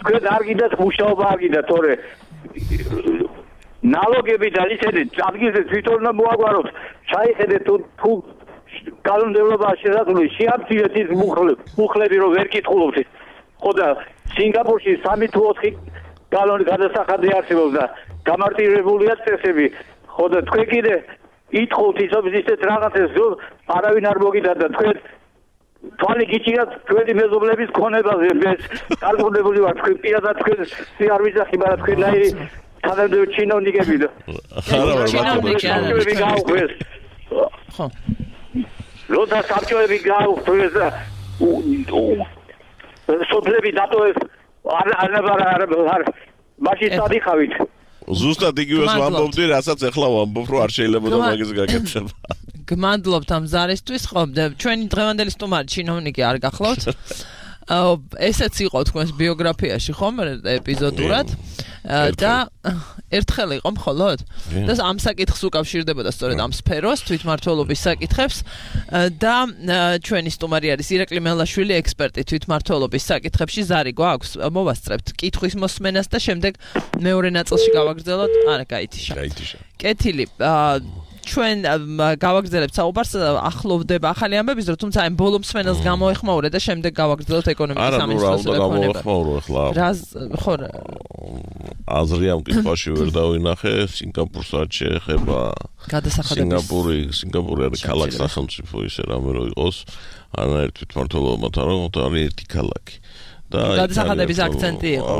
თქვენ არ გინდათ მუშაობა არ გინდათ, თორე ნალოგები და ისინი ადგილზე თვითონ უნდა მოაგვაროთ. ჩაიხედეთ თუ კანონმდებლობა შესაძლოა შეამცირეთ ის მუხლები, რომ ვერ კითხულობთ. ხო და სინგაპურში სამი თუ ოთხი კანონი გადასახადი არსებობს და გამარტივებულია წესები. ხო და თქვენ კიდე ითხოვთ ისეთ რაღაცებს, რომ არავინ არ მოგიდა და თქვენ თვალი გიჭირათ თქვენი მეზობლების ქონებაზე. მე კარგუნებული ვარ, თქვენ პირადად თქვენ არ ვიძახი, მაგრამ თქვენაირი თანამდებობრივი ჩინოვნიკები და ჩინოვნიკები გაუხვეს. ხო. როცა საბჭოები გაუხვეს და სოფლები დატოვეს, არ არ არ არ მაშინ სადიხავით. ზუსტად იგივეს ვამბობდი, რასაც ეხლა ვამბობ, რომ არ შეიძლება და მაგის გაკეთება. გმადლობთ ამ ზარისთვის, ხო, ჩვენი დღევანდელი სტუმარი ჩინოვნიკი არ გახლავთ. ესეც იყო თქვენს ბიოგრაფიაში, ხომ, ეპიზოდურად და ერთხელ იყო მხოლოდ და ამ საკითხს უკავშირდებოდა სწორედ ამ სფეროს, თვითმმართველობის საკითხებს და ჩვენი სტუმარი არის ირაკლი მელაშვილი, ექსპერტი თვითმმართველობის საკითხებში. ზარი გვაქვს, მოვასწრებთ კითხვის მოსმენას და შემდეგ მეორე ნაწილში გავაგრძელოთ. არა, გაითიშა. გაითიშა. კეთილი. ჩვენ გავაგრძელებთ საუბარს, ახლოვდება ახალი ამბების, რომ თუმცა ამ ბოლო მსმენელს გამოეხმაურე და შემდეგ გავაგრძელოთ ეკონომიკის სამინისტროს რეკომენდაციებს. გამოეხმაურო ახლა. რა ხო აზრი ამ კითხვაში ვერ დავინახე, სინგაპურს რაც შეეხება გადასახადების. სინგაპური, სინგაპური არის ქალაქ სახელმწიფო ისე რამე რო იყოს, არანაირ თვითმმართველობათან, რომ არის ერთი ქალაქი. გადასახადების აქცენტი იყო.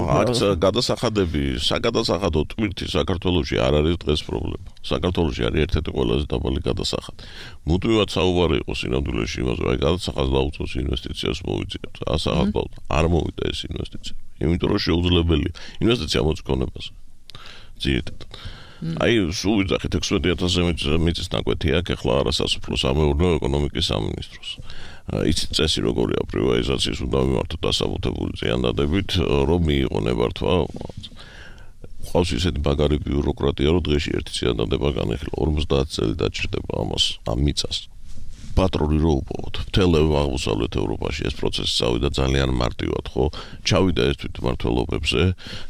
გადასახადები, საგადასახადო ტვირთი საქართველოში არ არის დღეს პრობლემა. საქართველოში არის ერთ-ერთი ყველაზე დაბალი გადასახადი. მუდმივად საუბარი იყო სინამდვილეში იმაზე, რომ გადასახადს დაუწევს ინვესტიციას მოვიძიებთ. ასახადოდ არ მოვიდა ეს ინვესტიცია. იმიტომ რომ შეუძლებელია ინვესტიცია მოწონებაზე. ძირითადად. აი, სულ ვიძახით ექვსმეტი ათასზე მიწის ნაკვეთი აქვს ახლა არასასოფლო სამეურნეო ეკონომიკის სამინისტროს. იცით წესი როგორია პრივატიზაციის უნდა მიმართოთ დასაბუთებული ზიანდადებით, რომ მიიღო ნებართვა. ყავს ისეთი მაგარი ბიუროკრატია, რომ დღეში ერთი ზიანდადება განეხილვა, ორმოცდაათი წელი დაჭირდება ამას, ამ მიწას. პატრონი რო უპოვოთ. მთელ აღმოსავლეთ ევროპაში ეს პროცესი წავიდა ძალიან მარტივად, ხო? ჩავიდა ეს თვითმმართველობებზე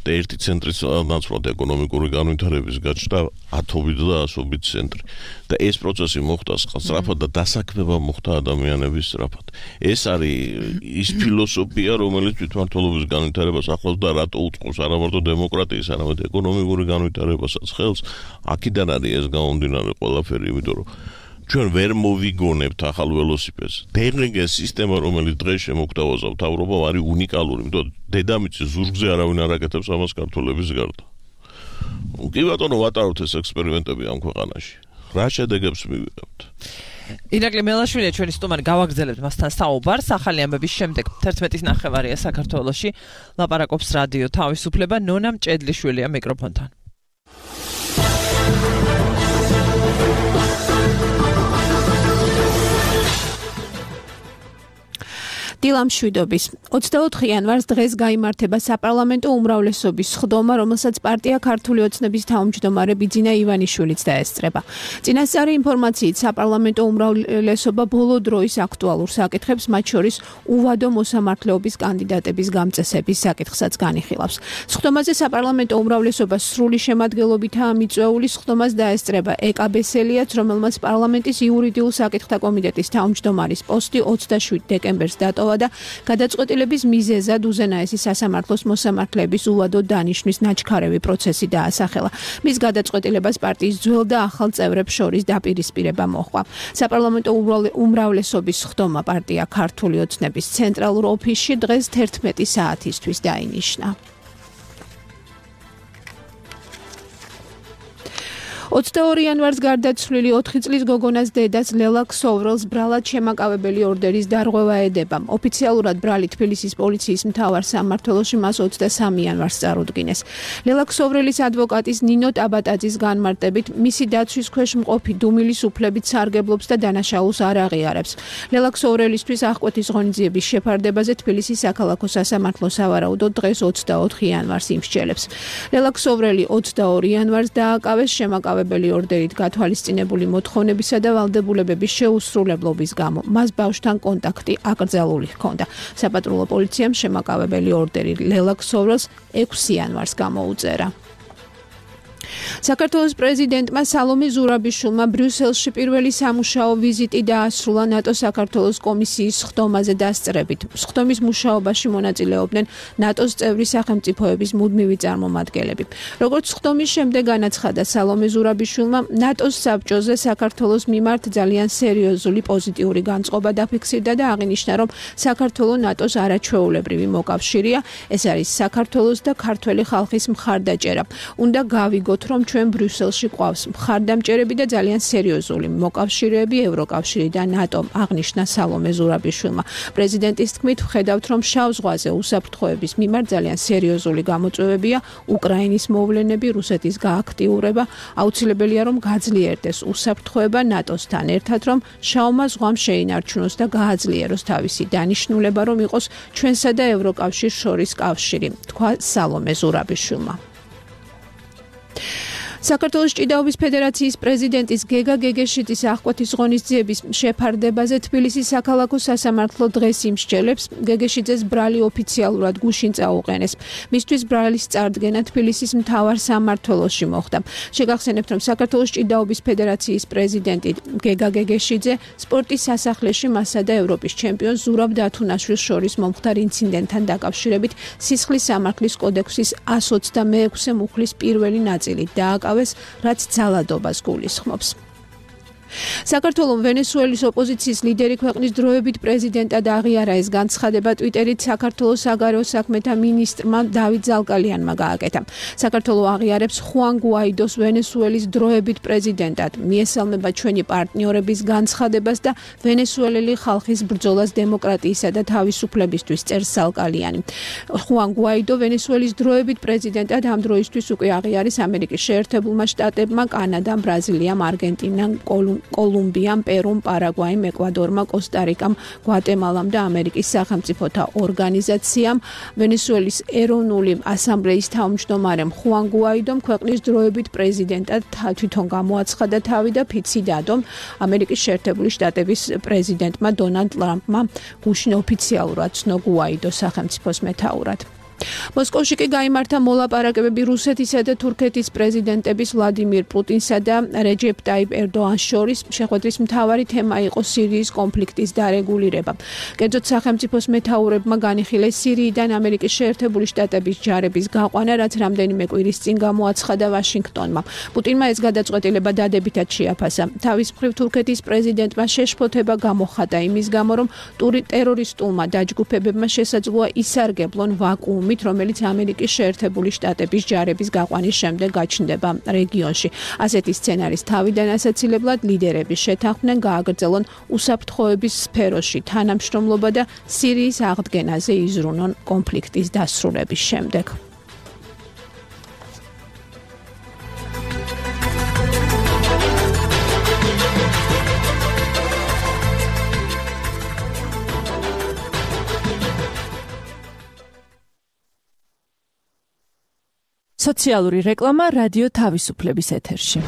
და ერთი ცენტრის ნაცვლად ეკონომიკური განვითარების გაჩნდა ათობით და ასობით ცენტრი. და ეს პროცესი მოხდა სწრაფად და დასაქმება მოხდა ადამიანების სწრაფად. ეს არის ის ფილოსოფია, რომელიც თვითმმართველობის განვითარებას ახლავს და რატო უწყობს არა მარტო დემოკრატიის, არამედ ეკონომიკური განვითარებასაც ხელს. აქედან არის ეს გამომდინარე ყველაფერი, იმიტომ რომ ჩვენ ვერ მოვიგონებთ ახალ ველოსიპედს. ტექნიკა სისტემა, რომელიც დღეს შემოგთავაზა მთავრობამ, არის უნიკალური, იმიტომ დედამიწის ზურგზე არავინ არ აკეთებს ამას ქართველების გარდა. კი ბატონო, ვატარებთ ეს ექსპერიმენტები ამ ქვეყანაში. რა შედეგებს მივიღებთ? ირაკლი მელაშვილია ჩვენი სტუმარი, გავაგრძელებთ მასთან საუბარს. ახალი ამბების შემდეგ თერთმეტის ნახევარია საქართველოში. ლაპარაკობს რადიო თავისუფლება, ნონა მჭედლიშვილია მიკროფონთან. დილამშვიდობის ოცდაოთხი იანვარს დღეს გაიმართება საპარლამენტო უმრავლესობის სხდომა, რომელსაც პარტია ქართული ოცნების თავმჯდომარე ბიძინა ივანიშვილიც დაესწრება. წინასწარი ინფორმაციით, საპარლამენტო უმრავლესობა ბოლო დროის აქტუალურ საკითხებს, მათ შორის უვადო მოსამართლეობის კანდიდატების გამწესების საკითხსაც განიხილავს. სხდომაზე საპარლამენტო უმრავლესობა სრული შემადგენლობითაა მიწვეული. სხდომას დაესწრება ეკაბესელიაც, რომელმაც პარლამენტის იურიდიულ საკითხთა კომიტეტის თავმჯდომარის პოსტი ოცდაშვიდ დეკემბერს დატოვა და გადაწყვეტილების მიზეზად უზენაესი სასამართლოს მოსამართლეების უვადო დანიშვნის ნაჩქარევი პროცესი დაასახელა. მის გადაწყვეტილებას პარტიის ძველ და ახალ წევრებს შორის დაპირისპირება მოჰყვა. საპარლამენტო უმრავლესობის სხდომა პარტია ქართული ოცნების ცენტრალურ ოფისში დღეს თერთმეტი საათისთვის დაინიშნა. ოცდაორი იანვარს გარდაცვლილი ოთხი წლის გოგონას დედას ლელა ქსოვრელს ბრალად შემაკავებელი ორდერის დარღვევა ედება. ოფიციალურად ბრალი თბილისის პოლიციის მთავარ სამმართველოში მას ოცდასამი იანვარს წარუდგინეს. ლელა ქსოვრელის ადვოკატის ნინო ტაბატაძის განმარტებით, მისი დაცვის ქვეშ მყოფი დუმილის უფლებით სარგებლობს და დანაშაულს არ აღიარებს. ლელა ქსოვრელისთვის აღკვეთის ღონისძიების შეფარდებაზე თბილისის საქალაქო სასამართლო სავარაუდოდ დღეს ოცდაოთხი იანვარს იმსჯელებს. ლელა ქსოვრელი ოცდაორი იანვარს დააკავეს შემაკავებელი ორდერით გათვალისწინებული მოთხოვნებისა და ვალდებულებების შეუსრულებლობის გამო. მას ბავშვთან კონტაქტი აკრძალული ჰქონდა. საპატრულო პოლიციამ შემაკავებელი ორდერი ლელა ქსოვრელს ექვსი იანვარს გამოუწერა. საქართველოს პრეზიდენტმა სალომე ზურაბიშვილმა ბრიუსელში პირველი სამუშაო ვიზიტი დაასრულა ნატო საქართველოს კომისიის სხდომაზე დასწრებით. სხდომის მუშაობაში მონაწილეობდნენ ნატოს წევრი სახელმწიფოების მუდმივი წარმომადგენლები. როგორც სხდომის შემდეგ განაცხადა სალომე ზურაბიშვილმა, ნატოს საბჭოზე საქართველოს მიმართ ძალიან სერიოზული პოზიტიური განწყობა დაფიქსირდა და აღინიშნა, რომ საქართველო ნატოს არაჩვეულებრივი მოკავშირეა. ეს არის საქართველოს და ქართველი ხალხის მხარდაჭერა. უნდა გავიგოთ, რომ ჩვენ ბრიუსელში ყავს მხარდამჭერები და ძალიან სერიოზული მოკავშირეები ევროკავშირი და ნატომ, აღნიშნა სალომე ზურაბიშვილმა. პრეზიდენტის თქმით, ვხედავთ, რომ შავ ზღვაზე უსაფრთხოების მიმართ ძალიან სერიოზული გამოწვევებია, უკრაინის მოვლენები, რუსეთის გააქტიურება, აუცილებელია, რომ გაძლიერდეს უსაფრთხოება ნატოსთან ერთად, რომ შავმა ზღვამ შეინარჩუნოს და გააძლიეროს თავისი დანიშნულება, რომ იყოს ჩვენსა და ევროკავშირს შორის კავშირი, თქვა სალომე ზურაბიშვილმა. საქართველოს ჭიდაობის ფედერაციის პრეზიდენტის გეგა გეგეშიძის აღკვეთის ღონისძიების შეფარდებაზე თბილისის საქალაქო სასამართლო დღეს იმსჯელებს. გეგეშიძეს ბრალი ოფიციალურად გუშინ წაუყენეს. მისთვის ბრალის წარდგენა თბილისის მთავარ სამმართველოში მოხდა. შეგახსენებთ, რომ საქართველოს ჭიდაობის ფედერაციის პრეზიდენტი გეგა გეგეშიძე სპორტის სასახლეში მასა და ევროპის ჩემპიონს ზურაბ დათუნაშვილს შორის მომხდარ ინციდენტთან დაკავშირებით სისხლის სამართლის კოდექსის εκατს ოცდამეექვსე მუხლის პირველი ნაწილი დააკავეს, რაც ძალადობას გულისხმობს. საქართველოს ვენესუელის ოპოზიციის ლიდერი ქვეყნის დროებით პრეზიდენტად აღიარა. ეს განცხადება ტვიტერით საქართველოს საგარეო საქმეთა მინისტრმა დავით ზალკალიანმა გააკეთა. საქართველოს აღიარებს ხუან გუაიდოს ვენესუელის დროებით პრეზიდენტად. მიესალმება ჩვენი პარტნიორების განცხადებას და ვენესუელელი ხალხის ბრძოლას დემოკრატიისა და თავისუფლებისთვის, წერს ზალკალიანი. ხუან გუაიდო ვენესუელის დროებით პრეზიდენტად ამ დროისთვის უკვე აღიარეს ამერიკის შეერთებულმა შტატებმა, კანადამ, ბრაზილიამ, არგენტინამ, კოლუმბიამ კოლუმბიამ, პერუმ, პარაგვაიმ, ეკვადორმა, კოსტა-რიკამ, გვატემალამ და ამერიკის სახელმწიფოთა ორგანიზაციამ. ვენესუელის ეროვნული ასამბლეის თავმჯდომარემ ხუან გუაიდომ ქვეყნის დროებით პრეზიდენტად თვითონ გამოაცხადა თავი და ფიცი დადომ ამერიკის შეერთებული შტატების პრეზიდენტმა დონალდ ტრამპმა გუშინ ოფიციალურად ცნო გუაიდოს სახელმწიფოს მეთაურად. მოსკოვში კი გაიმართა მოლაპარაკებები რუსეთისა და თურქეთის პრეზიდენტების ვლადიმირ პუტინსა და რეჯეპ ტაიპ ერდოანის შორის. შეხვედრის მთავარი თემა იყო სირიის კონფლიქტის დარეგულირება. კერძოდ სახელმწიფოს მეთაურებმა განიხილეს სირიიდან ამერიკის შეერთებული შტატების ჯარების გაყვანა, რაც რამდენიმე კვირის წინ გამოაცხადა ვაშინგტონმა. პუტინმა ეს გადაწყვეტილება დადებითად შეაფასა. თავის მხრივ თურქეთის პრეზიდენტმა შეშფოთება გამოხატა იმის გამო, რომ ტერორისტულმა დაჯგუფებებმა შესაძლოა ისარგებლონ ვაკუუმი, რომელიც ამერიკის შეერთებული შტატების ჯარების გაყვანის შემდეგ გაჩნდება რეგიონში. ასეთი სცენარის თავიდან ასაცილებლად ლიდერები შეთანხმდნენ გააგრძელონ უსაფრთხოების სფეროში თანამშრომლობა და სირიის აღდგენაზე იზრუნონ კონფლიქტის დასრულების შემდეგ. სოციალური რეკლამა რადიო თავისუფლების ეთერში.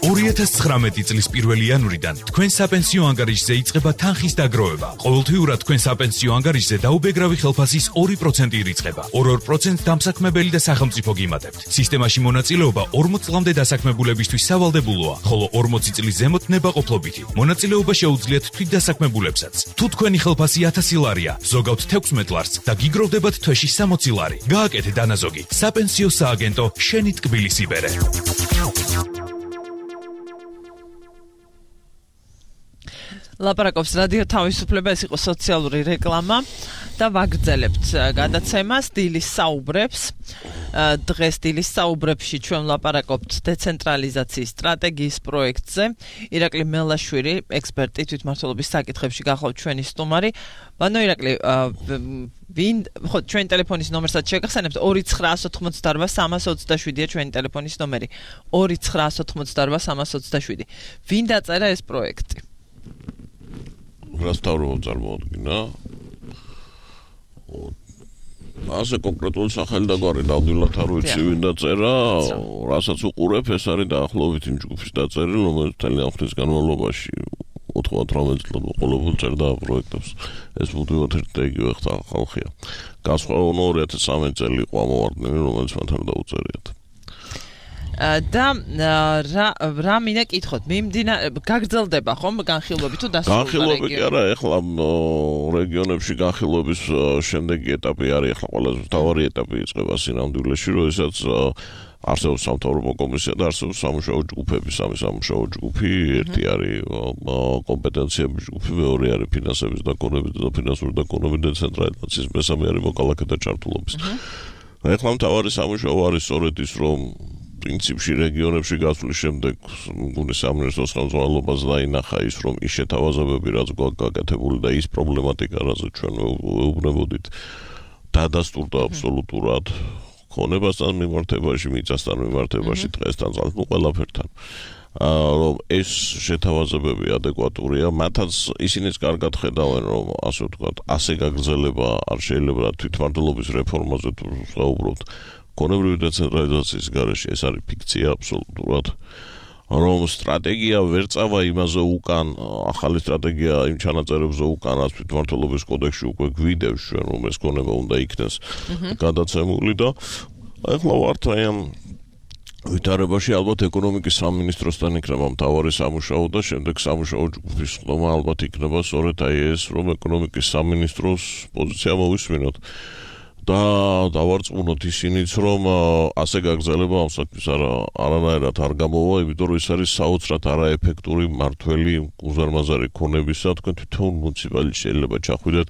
ორი ათას ცხრამეტი წლის პირველი იანვრიდან თქვენ საპენსიო ანგარიშზე იწყება თანხის დაგროვება. ყოველთვიურად თქვენ საპენსიო ანგარიშზე დაუბეგრავი ხელფასის ორი პროცენტი ირიცხება. ორ-ორ პროცენტს დამსაქმებელი და სახელმწიფო გიმატებთ. სისტემაში მონაწილეობა ორმოც წლამდე დასაქმებულებისთვის სავალდებულოა, ხოლო ორმოცი წლის ზემოთ ნებაყოფლობითი. მონაწილეობა შეუძლიათ თვითდასაქმებულებსაც. თუ თქვენი ხელფასი ათასი ლარია, ზოგავთ თექვსმეტ ლარს და გიგროვდებათ თვეში სამოცი ლარი. გააკეთე დანაზოგი. საპენსიო სააგენტო შენი ტკბილის იბერე. ლაპარაკობს რადიო თავისუფლება, ეს იყო სოციალური რეკლამა და ვაგრძელებთ გადაცემას დილის საუბრებს. დღეს დილის საუბრებში ჩვენ ლაპარაკობთ დეცენტრალიზაციის სტრატეგიის პროექტზე. ირაკლი მელაშვილი, ექსპერტი თვითმმართველობის საკითხებში გახლავთ ჩვენი სტუმარი. ბანო ირაკლი, ვინ ხო ჩვენი ტელეფონის ნომერსაც შეგახსენებთ ორი ცხრაას ოთხმოცდაორბა სამას ოცდაშვიდია ჩვენი ტელეფონის ნომერი. ორი ცხრაას ოთხმოცდაორბა სამას ოცდაშვიდი. ვინ დაწერა ეს პროექტი? რასთავრობ წარმოადგინა. ასე კონკრეტული სახელი და გვარი ნამდვილად არ ვიცი ვინ დაწერა, რასაც უყურებ, ეს არის დაახლოებით იმ ჯგუფის დაწერილი, რომელიც ძალიან ხნის განმავლობაში ოთხმოცდაოთხ წლად ყოველდღე წერდა პროექტებს. ეს მუდმივად ერთ და იგივე ხალხია. განსხვავებული ორი ათას სამი წელი იყო ამოვარდნილი, რომელიც მათ არ დაუწერიათ. და რა რა მინდა კითხოთ, მიმდინარე გაგრძელდება ხომ განხილვები თუ დასრულდა განხილვები კი არა, ეხლა რეგიონებში განხილვების შემდეგი ეტაპი არის, ეხლა ყველაზე მთავარი ეტაპი იწყება სინამდვილეში, როდესაც არსებობს სამთავრობო კომისია და არსებობს სამუშაო ჯგუფები, სამი სამუშაო ჯგუფი, ერთი არის კომპეტენციების ჯგუფი, მეორე არის ფინანსების დაკონების და ფინანსური დაკონების დეცენტრალიზაციის, მესამე არის მოქალაქეთა ჩართულობის. ეხლა მთავარი სამუშაო არის სწორედ ის, რომ პრინციპში რეგიონებში გასვლის შემდეგ მგონი სამინისტროს ხელმძღვანელობას დაინახა ის, რომ ის შეთავაზებები, რაც გვაქვს გაკეთებული და ის პრობლემატიკა, რაზეც ჩვენ ვეუბნებოდით, დადასტურდა აბსოლუტურად ქონებასთან მიმართებაში, მიწასთან მიმართებაში, დღესთან, ну ყველაფერთან. რომ ეს შეთავაზებები ადეკვატურია, მათაც ისინიც კარგად ხედავენ, რომ ასე ვთქვათ, ასე გაგრძელება არ შეიძლება თვითმმართველობის რეფორმაზე თუ საუბრობთ. კონებრივი დეცენტრალიზაციის გარეშე ეს არის ფიქცია აბსოლუტურად, რომ სტრატეგია ვერ წავა იმაზე უკან, ახალი სტრატეგია იმ ჩანაწერებზე უკან, რაც თვითმმართველობის კოდექსში უკვე გვიდევს ჩვენ, რომ ეს კონება უნდა იქნეს გადაცემული და ახლა ვართ აი ამ ვითარებაში, ალბათ ეკონომიკის სამინისტროსთან იქნება მთავარი სამუშაო და შემდეგ სამუშაო ჯგუფის ხდომა ალბათ იქნება სწორედ აი ეს, რომ ეკონომიკის სამინისტროს პოზიცია მოვისმინოთ. და დავარწმუნოთ ისინიც, რომ ასე გაგრძელება ამ საქმის არა არანაირად არ გამოვა, იმიტომ რომ ის არის საოცრად არაეფექტური მართველი უზარმაზარი ქონებისა, თქვენ თვითონ მუნიციპალიტეტში შეიძლება ჩახვიდეთ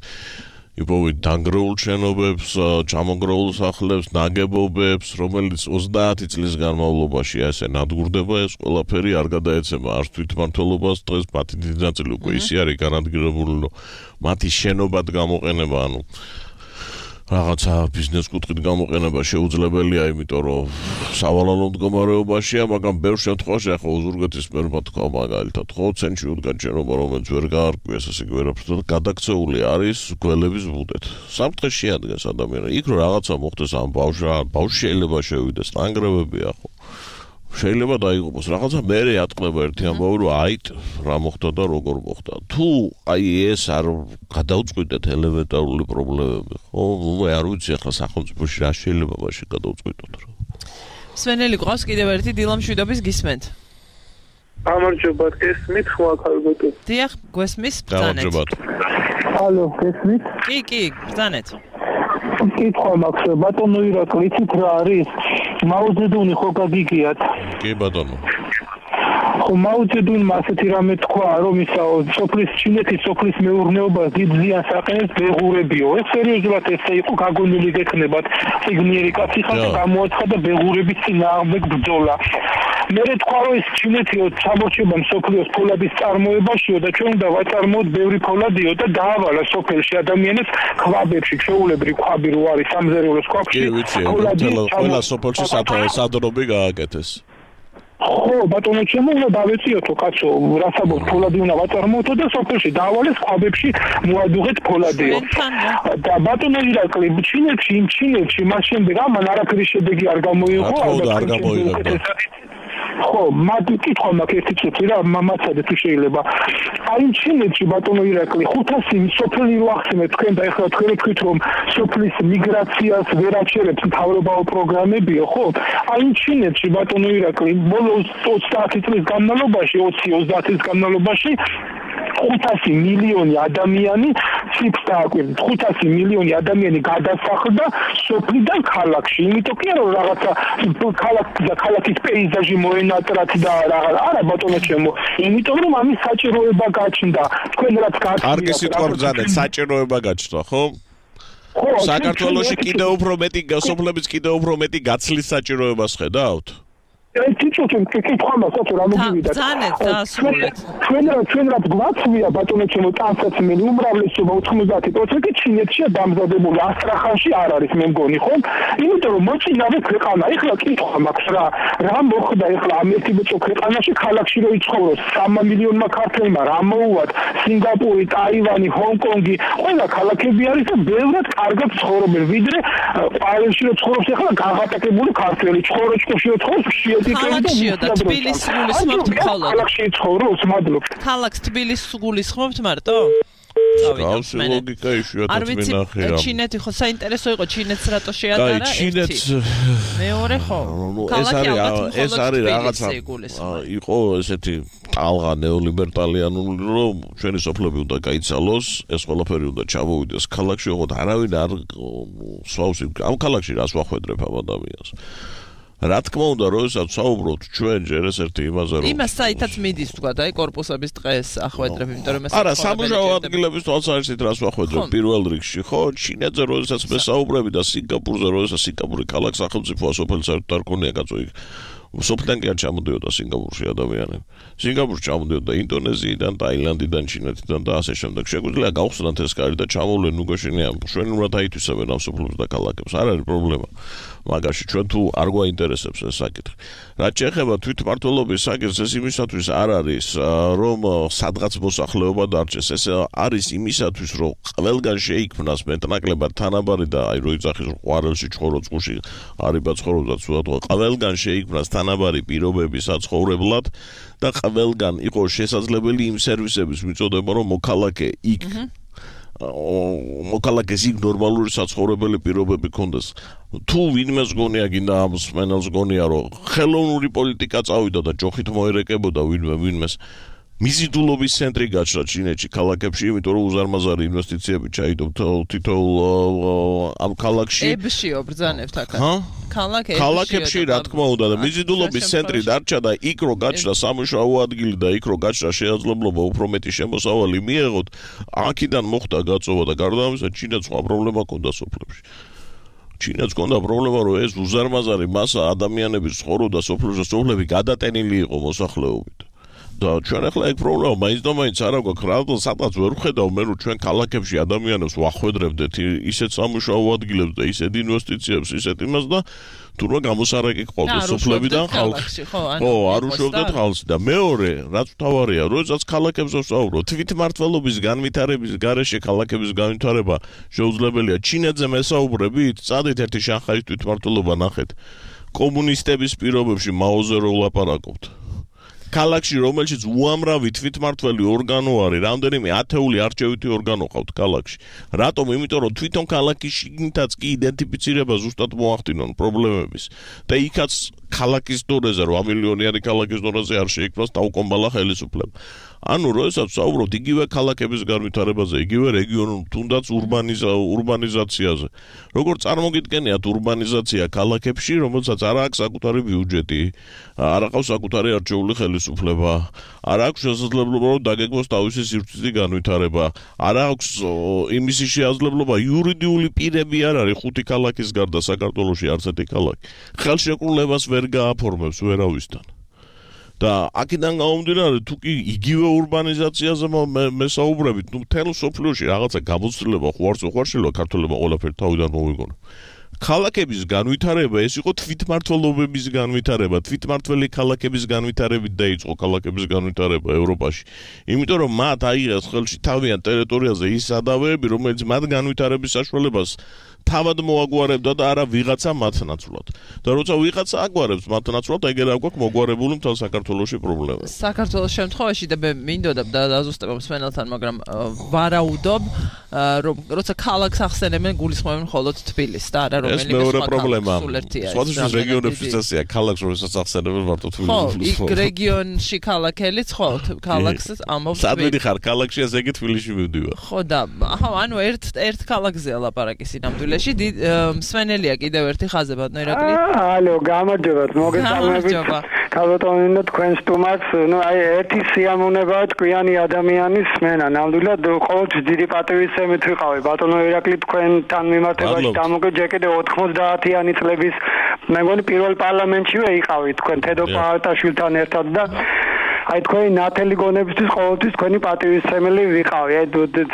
იპოვეთ დანგრეულ შენობებს, ჩამონგრეულ სახლებს, ნაგებობებს, რომელიც ოცდაათი წლის განმავლობაში ასე ნადგურდება, ეს ყველაფერი არ გადაეცემა არც თვითმმართველობას, დღეს მათი დიდი ნაწილი უკვე ისე არის განადგურებული, რომ მათი შენობად გამოყენება, ანუ რაღაცა ბიზნეს კუთხით გამოყენება შეუძლებელია, იმიტომ რომ სავალალო მდგომარეობაშია, მაგრამ ბევრ შემთხვევაში ახლა უზურგეთის მერმა თქვა მაგალითად, ხო, ცენტრში უდგა ჯერობა, რომელიც ვერ გაარკვიეს, ასე იგი ვერაფერს, გადაქცეული არის გველების ბუდეთ. სამთხე შეადგენს ადამიანს. იქ რომ რაღაცა მოხდეს ამ ბავშვს, ბავშვი შეიძლება შევიდეს, ნანგრევებია, ხო. შეიძლება დაიღუპოს რაღაცა მერე ატყდება ერთი ამბავი რომ აი რა მოხდა და როგორ მოხდა თუ აი ეს არ გადაუწყვეტეთ ელემენტარული პრობლემები ხო ნუ არ ვიცი ახლა სახელმწიფოში რა შეიძლება მაშინ გადაუწყვეტოთ რა სვენელი ყავს კიდევ ერთი დილამშვიდობის გისმენთ გამარჯობა გესმით ხო ახალგეთო დიახ გვესმის ბრძანეთ ალო გესმით კი კი ბრძანეთ კითხვა მაქვს ბატონო ირაკლი იცით რა არის მაუძედუნი ხო გაგიგიათ კი ბატონო ხო მაუძედუნმა ასეთი რამე თქვა რომ ისაო სოფლის ჩინეთის სოფლის მეურნეობას დიდ ზიანს აყენებს ბეღურებიო ეს სერიოზულად ესე იყო გაგონილი გექნებათ სიგნიერი კაცი ხარ და გამოაცხადა ბეღურების წინააღმდეგ ბრძოლა მე თქვა რომ ეს ჩინეთიო სამორჩება სოფლიოს ფოლადის წარმოებაშიო და ჩვენ უნდა ვაწარმოოთ ბევრი ფოლადიო და დაავალა სოფელში ადამიანებს ქვაბებში ჩვეულებრივ ქვაბი რო არის სამზარეულოს ქვაბში ყველა სოფელში სადრობი გააკეთეს ხო ბატონო ჩემო უნდა დავეციოთო კაცო რასაბოთ ფოლადი უნდა ვაწარმოოთ და სოფელში დაავალეს ქვაბებში მოადუღეთ ფოლადიო და ბატონო ირაკლი ჩინეთში იმ ჩინეთში მას შემდეგ ამან არაფერი შედეგი არ გამოიღო არ გამოიღო ხო, მათ კითხვა მაქვს ერთი წუთი რა, მამაცადე თუ შეიძლება. აი ჩინეთში ბატონო ირაკლი ხუთასი სოფელი რო ახსენეთ თქვენ და ეხლა თქვენ თქვით რომ სოფლის მიგრაციას ვერ აჩერებს მთავრობაო პროგრამებიო, ხო? აი ჩინეთში ბატონო ირაკლი ბოლოს ოცდაათი წლის განმავლობაში, ოცი ოცდაათი წლის განმავლობაში ხუთასი მილიონი ადამიანი ციფრს დააკვირდით. ხუთასი მილიონი ადამიანი გადასახლდა სოფლიდან ქალაქში. იმიტომ კი არა რომ რაღაცა ქალაქი და ქალაქის პეიზაჟი მოენატრათ და რაღაც არა ბატონო ჩემო. იმიტომ რომ ამის საჭიროება გაჩნდა. თქვენ რაც გაჩნდა. კარგი სიტყვა ბრძანეთ, საჭიროება გაჩნდა, ხო? ხო. საქართველოში კიდევ უფრო მეტი სოფლების კიდევ უფრო მეტი გაცლის საჭიროებას ხედავთ? ერთი წუთი კითხვა მაქვს რა მოგივიდა. ბრძანეთ დასრულეთ. ჩვენ ჩვენ რაც გვაცვია ბატონო ჩემო ტანსაცმელი უმრავლესობა ოთხმოცდაათი პროცენტი ჩინეთშია დამზადებული, ასტრახანში არ არის მე მგონი ხო? იმიტომ რომ მოწინავე ქვეყანა. ეხლა კითხვა მაქვს რა რა მოხდა ეხლა ამ ერთი ბოჭო ქვეყანაში ქალაქში რო იცხოვროს სამი მილიონმა ქართველმა რა მოუვათ სინგაპური, ტაივანი, ჰონკონგი, ყველა ქალაქები არის და ბევრად კარგად ცხოვრობენ ვიდრე ყვავილში რო ცხოვრობს ეხლა გაღატაკებული ქართველი, ჩხოროჭკოში რო ცხოვრობს ქალაქშიო და თბილისს გულისხმობთ მხოლოდ. ქალაქში ცხოვრობს, მადლობთ. ქალაქს თბილისს გულისხმობთ მარტო? გავს ლოგიკა იშვიათად მინახე რა. ჩინეთი ხო საინტერესო იყო ჩინეთს რატო შეატარა? აი ჩინეთს მეორე ხო? ეს არის ეს არის რაღაცა იყო ესეთი ტალღა ნეოლიბერტალიანული რომ ჩვენი სოფლები უნდა გაიცალოს, ეს ყველაფერი უნდა ჩამოვიდეს ქალაქში, ოღონდ არავინ არ სვავს ამ ქალაქში რას ვახვედრებ ამ ადამიანს. რა თქმა უნდა, როდესაც საუბრობთ ჩვენ ჯერ ეს ერთი იმაზე რომ იმას საითაც მიდის თქვა და აი კორპუსების დღეს ახვედრებ, იმიტომ რომ ეს არა, სამუშაო ადგილების თვალსაზრისით რას ვახვედრებ პირველ რიგში, ხო? ჩინეთზე როდესაც მე საუბრები და სინგაპურზე როდესაც სინგაპური ქალაქ სახელმწიფოა, სოფელი საერთოდ არ ქონია კაცო იქ. სოფლიდან კი არ ჩამოდიოდა სინგაპურში ადამიანები. სინგაპურში ჩამოდიოდა ინდონეზიიდან, ტაილანდიდან, ჩინეთიდან და ასე შემდეგ. შეგვიძლია გავხსნათ ეს კარი და ჩამოვლენ უგოშინიან. შვენურად აითვისებენ ამ სოფლებს და ქალაქებს. არ არის პრობლემა. მაგაში ჩვენ თუ არ გვაინტერესებს ეს საკითხი. რაც შეეხება თვითმმართველობის საკითხს, ეს იმისათვის არ არის, რომ სადღაც მოსახლეობა დარჩეს. ეს არის იმისათვის, რომ ყველგან შეიქმნას მეტნაკლებად თანაბარი და აი რო იცახის ყვარელში, ჩხოროწყუში, არიბა ცხოვრობდა ცუდად, ყველგან შეიქმნას თანაბარი პირობები საცხოვრებლად და ყველგან იყოს შესაძლებელი იმ სერვისების მიწოდება, რომ მოქალაქე იქ მოქალაქეს იქ ნორმალური საცხოვრებელი პირობები ქონდეს. თუ ვინმეს გონია გინდა ამ სმენელს გონია რომ ხელოვნური პოლიტიკა წავიდა და ჯოხით მოერეკებოდა ვინმე ვინმეს მიზიდულობის ცენტრი გაჩნდა ჩინეთში ქალაქებში, იმიტომ რომ უზარმაზარი ინვესტიციები ჩაიდო თითოეულ ამ ქალაქში. ებშიო ბრძანებთ აქაც. ქალაქებში. ქალაქებში რა თქმა უნდა და მიზიდულობის ცენტრი დარჩა და იქ რო გაჩნდა სამუშაო ადგილი და იქ რო გაჩნდა შესაძლებლობა უფრო მეტი შემოსავალი მიეღოთ, აქედან მოხდა გაწოვა და გარდა ამისა ჩინეთს სხვა პრობლემა ჰქონდა სოფლებში. ჩინეთს ჰქონდა პრობლემა რომ ეს უზარმაზარი მასა ადამიანების ცხოვრობდა სოფლებში, სოფლები გადატენილი იყო მოსახლეობით. და ჩვენ ახლა ეგ პრობლემა მაინც და მაინც არ აქვს, რადგან სადღაც ვერ ვხედავ მე რომ ჩვენ ქალაქებში ადამიანებს ვახვედრებდეთ ისეთ სამუშაო ადგილებს და ისეთ ინვესტიციებს, ისეთ იმას და თურმე გამოსარეკი ყავდეს სოფლებიდან ხალხი. ხო, არ უშვებდეთ ხალხს და მეორე, რაც მთავარია, როდესაც ქალაქებზე ვსაუბრობ, თვითმმართველობის განვითარების გარეშე ქალაქების განვითარება შეუძლებელია. ჩინეთზე მესაუბრებით, წადით ერთი შანხაის თვითმმართველობა ნახეთ. კომუნისტების პირობებში მაოზე რო ვლაპარაკობთ. ქალაქში რომელშიც უამრავი თვითმმართველი ორგანო არის, რამდენიმე ათეული არჩევითი ორგანო ყავთ ქალაქში. რატომ? იმიტომ რომ თვითონ ქალაქის შიგნითაც კი იდენტიფიცირება ზუსტად მოახდინონ პრობლემების. და იქაც ქალაქის დონეზე, რვა მილიონიანი ქალაქის დონეზე არ შეიქმნას დაუკომბალა ხელისუფლება. ანუ როდესაც ვსაუბრობთ იგივე ქალაქების განვითარებაზე, იგივე რეგიონულ, თუნდაც ურბანიზა ურბანიზაციაზე. როგორ წარმოგიდგენიათ ურბანიზაცია ქალაქებში, რომელსაც არ აქვს საკუთარი ბიუჯეტი, არ აქვს საკუთარი არჩეული ხელისუფლება, არ აქვს შესაძლებლობა რომ დაგეგმოს თავისი სივრცითი განვითარება, არ აქვს იმისი შესაძლებლობა იურიდიული პირები არ არის ხუთი ქალაქის გარდა საქართველოში არც ერთი ქალაქი. ხელშეკრულებას ვერ გააფორმებს ვერავისთან. და აქედან გამომდინარე თუ კი იგივე ურბანიზაციაზე მესაუბრებით, ნუ მთელ სოფლიოში რაღაცა გამოცდილება ხო არც ხო არ შეიძლება ქართველებმა ყველაფერი თავიდან მოვიგონო. ქალაქების განვითარება ეს იყო თვითმმართველობების განვითარება, თვითმმართველი ქალაქების განვითარებით დაიწყო ქალაქების განვითარება ევროპაში. იმიტომ რომ მათ აიღეს ხელში თავიანთ ტერიტორიაზე ის სადავეები, რომელიც მათ განვითარების საშუალებას თავად მოაგვარებდა და არა ვიღაცა მათნაცვლად. და როცა ვიღაცა აგვარებს მათნაცვლად, ეგერ აქვს მოგვარებული მთელ საქართველოში პრობლემა. საქართველოს შემთხვევაში და მე მინდოდა და დაზუსტებამ სვენელთან, მაგრამ ვარაუდობ, რომ როცა ქალაქს ახსენებენ, გულისხმობენ მხოლოდ თბილისს და არა რომელიმე სხვა პრობლემაა. სხვადასხვა რეგიონებში წესია, ქალაქს როდესაც ახსენებენ მარტო თბილისს. ხო, იქ რეგიონში ქალაქელიც ხო, ქალაქს ამბობს. სად მიდიხარ ქალაქში, ესე იგი თბილისში მივდივარ. ხო და აჰა, ანუ ერთ ერთ ქალაქზეა ლაპარაკი სინამდვილეში. სვენელია კიდევ ერთი ხაზებად ნოირაკლი. ალო, გამარჯობათ, მოგესალმებით. ქალბატონო, თქვენ სტუმარს, ნუ აი ერთი სიამოვნებაა ჭკვიანი ადამიანის მენა. ნამდვილად ყოველთვის დიდი პატივისცემით ვიყავი. ბატონო ირაკლი, თქვენთან მიმართებაში დამოგეჯეკიდე ოთხმოცდაათიანი წლების მე მგონი პირველ პარლამენტშივე იყავით თქვენ თედო პაატაშვილთან ერთად და აი თქვენი ნათელი გონებისთვის ყოველთვის თქვენი პატივისცემელი ვიყავი. აი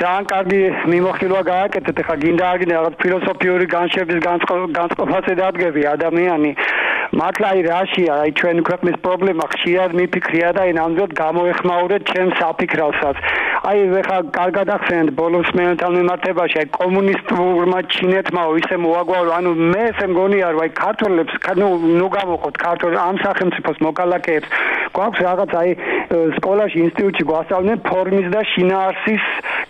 ძალიან კარგი მიმოხილვა გააკეთეთ. ეხლა გინდა არ გინდა რაღაც ფილოსოფიური განშების განწყობაზე დადგები ადამიანი. მართლა აი რაშია, აი ჩვენი ქვეყნის პრობლემა ხშირად მიფიქრია და აი ნამდვილად გამოეხმაურეთ ჩემს საფიქრალსაც. აი ეხლა კარგად ახსენეთ ბოლოს მეელთან მიმართებაში, აი კომუნისტურმა ჩინეთმა ისე მოაგვარო, ანუ მე ესე მგონია რომ აი ქართველებს, ნუ ნუ გამოყოთ ქართულ ამ სახელმწიფოს მოკალაკეებს გვაქვს რაღაც აი სკოლაში ინსტიტუტში გვასწავლენ ფორმის და შინაარსის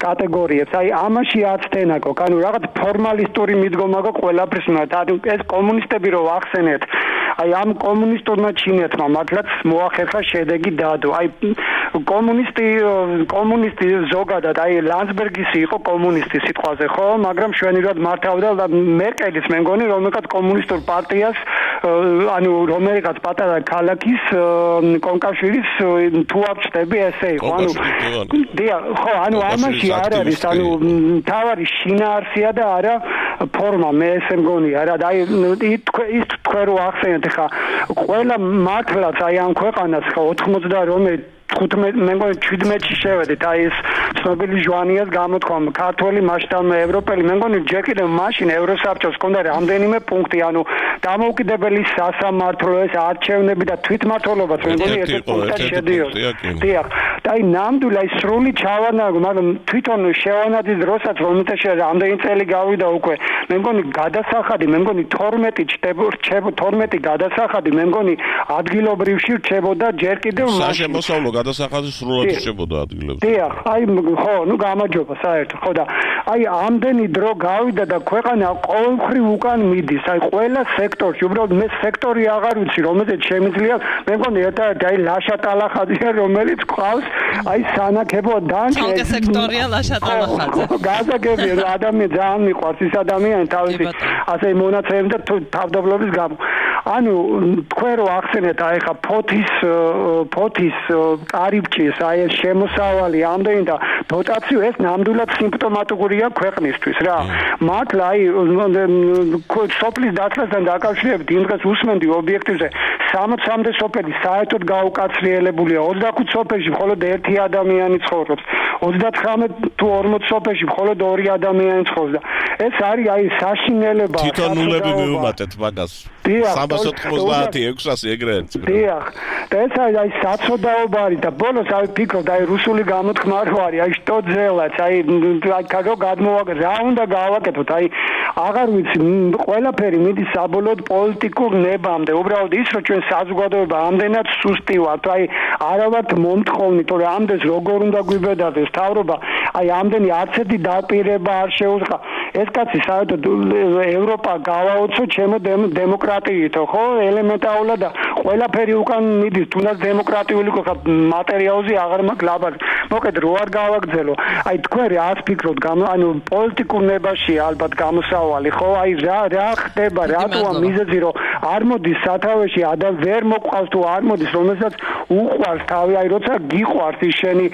კატეგორიებს. აი ამაში აცდენა გქ, ანუ რაღაც ფორმალისტური მიდგომა გქ ყველაფრის მიმართ. ანუ ეს კომუნისტები რო ახსენეთ, აი ამ კომუნისტურმა ჩინეთმა მართლაც მოახერხა შედეგი დადო. აი კომუნისტი კომუნისტი ზოგადად აი ლანსბერგის იყო კომუნისტი სიტყვაზე ხო, მაგრამ შვენივრად მართავდა მერკელის მე მგონი რომელიღაც კომუნისტურ პარტიას, ანუ რომელიღაც პატარა ქალაქის კონკავშირის თუ აღწევი ესე იყო. ანუ დია ხო, ანუ ამაში არ არის, ანუ თავარი შინაარსია და არა ფორმა, მე ესე მგონია რა. და აი ის თქვენ რო ახსენეთ ხა ყველა მართლაც აი ამ ქვეყანას ხა ოთხმოცდა რომე ხუთმეტ მე მგონი შვიდმეტში შევედით აი ეს ცნობილი ჟვანიას გამოთქვა ქართველი მასშტაბური ევროპელი მე მგონი ჯერ კიდევ მაშინ ევროსაბჭოს ჰქონდა რამდენიმე პუნქტი ანუ დამოუკიდებელი სასამართლო ეს არჩევნები და თვითმმართველობაც მე მგონი ეს პუნქტი შედიოდა. დიახ. და აი ნამდვილად აი სრული ჩავანარგო, მაგრამ თვითონ შევანაძის დროსაც რომელთაში რამდენი წელი გავიდა უკვე მე მგონი გადასახადი მე მგონი თორმეტი რჩება თორმეტი გადასახადი მე მგონი ადგილობრივში რჩებოდა ჯერ კიდევ მაშინ გადასახადი სრულად რჩებოდა ადგილებზე. დიახ, აი ხო, ნუ გამარჯობა საერთოდ. ხო და აი ამდენი დრო გავიდა და ქვეყანა ყოველმხრივ უკან მიდის. აი ყველა სექტორში, უბრალოდ მე სექტორი აღარ ვიცი, რომელზეც შემიძლია, მე მგონი ერთ-ერთი აი ლაშა ტალახაძე, რომელიც ყავს, აი სანაკებო დანჩე. ხალხი სექტორია ლაშა ტალახაძე. გასაგებია, ადამიანი ძალიან მიყვარს ის ადამიანი თავისი ასე მონაცემები და თავდაბლობის გამო. ანუ თქვენ რო ახსენეთ აი ხა ფოთის ფოთის კარიბჭის აი ეს შემოსავალი ამდენი და დოტაციო ეს ნამდვილად სიმპტომატურია ქვეყნისთვის რა. მართლა აი სოფლის დაცვასთან დაკავშირებით იმ დღეს უსმენდი ობიექტივზე სამოცამდე სოფელი საერთოდ გაუკაცრიელებულია, ოცდახუთ სოფელში მხოლოდ ერთი ადამიანი ცხოვრობს, ოცდათხრამეტ თუ ორმოც სოფელში მხოლოდ ორი ადამიანი ცხოვრობს და ეს არის აი საშინელება. თვითონ ნულები მივუმატეთ მაგას. სამას ოცდაათი ექვსასი ეგრეთ. დიახ. და ეს არის აი საცოდაობა არის და ბოლოს აი ფიქრობ აი რუსული გამოთქმა რო არის აი შტო ძელაც აი აი კაგო გადმოვაგე რა უნდა გავაკეთოთ აი აღარ ვიცი ყველაფერი მიდის საბოლოოდ პოლიტიკურ ნებამდე უბრალოდ ის რომ ჩვენ საზოგადოება ამდენად სუსტი ვართ აი არა ვართ მომთხოვნი თორე ამდენს როგორ უნდა გვიბედავდეს თავრობა აი ამდენი არც ერთი დაპირება არ შეუძლია ეს კაცი საერთოდ ევროპა გავაოცო ჩემო დემოკრატიითო ხო ელემენტარულად და ყველაფერი უკან მიდის თუნდაც დემოკრატიული ხო მატერიალზე აღარ მაქვს ლაბაზი მოკედ რო არ გავაგრძელო აი თქვენ რას ფიქრობთ ანუ პოლიტიკურ ნებაში ალბათ გამოსავალი ხო აი რა რა ხდება რატოა მიზეზი რომ არ მოდის სათავეში ადამ ვერ მოყავს თუ არ მოდის რომელსაც უყვარს თავი აი როცა გიყვარს ის შენი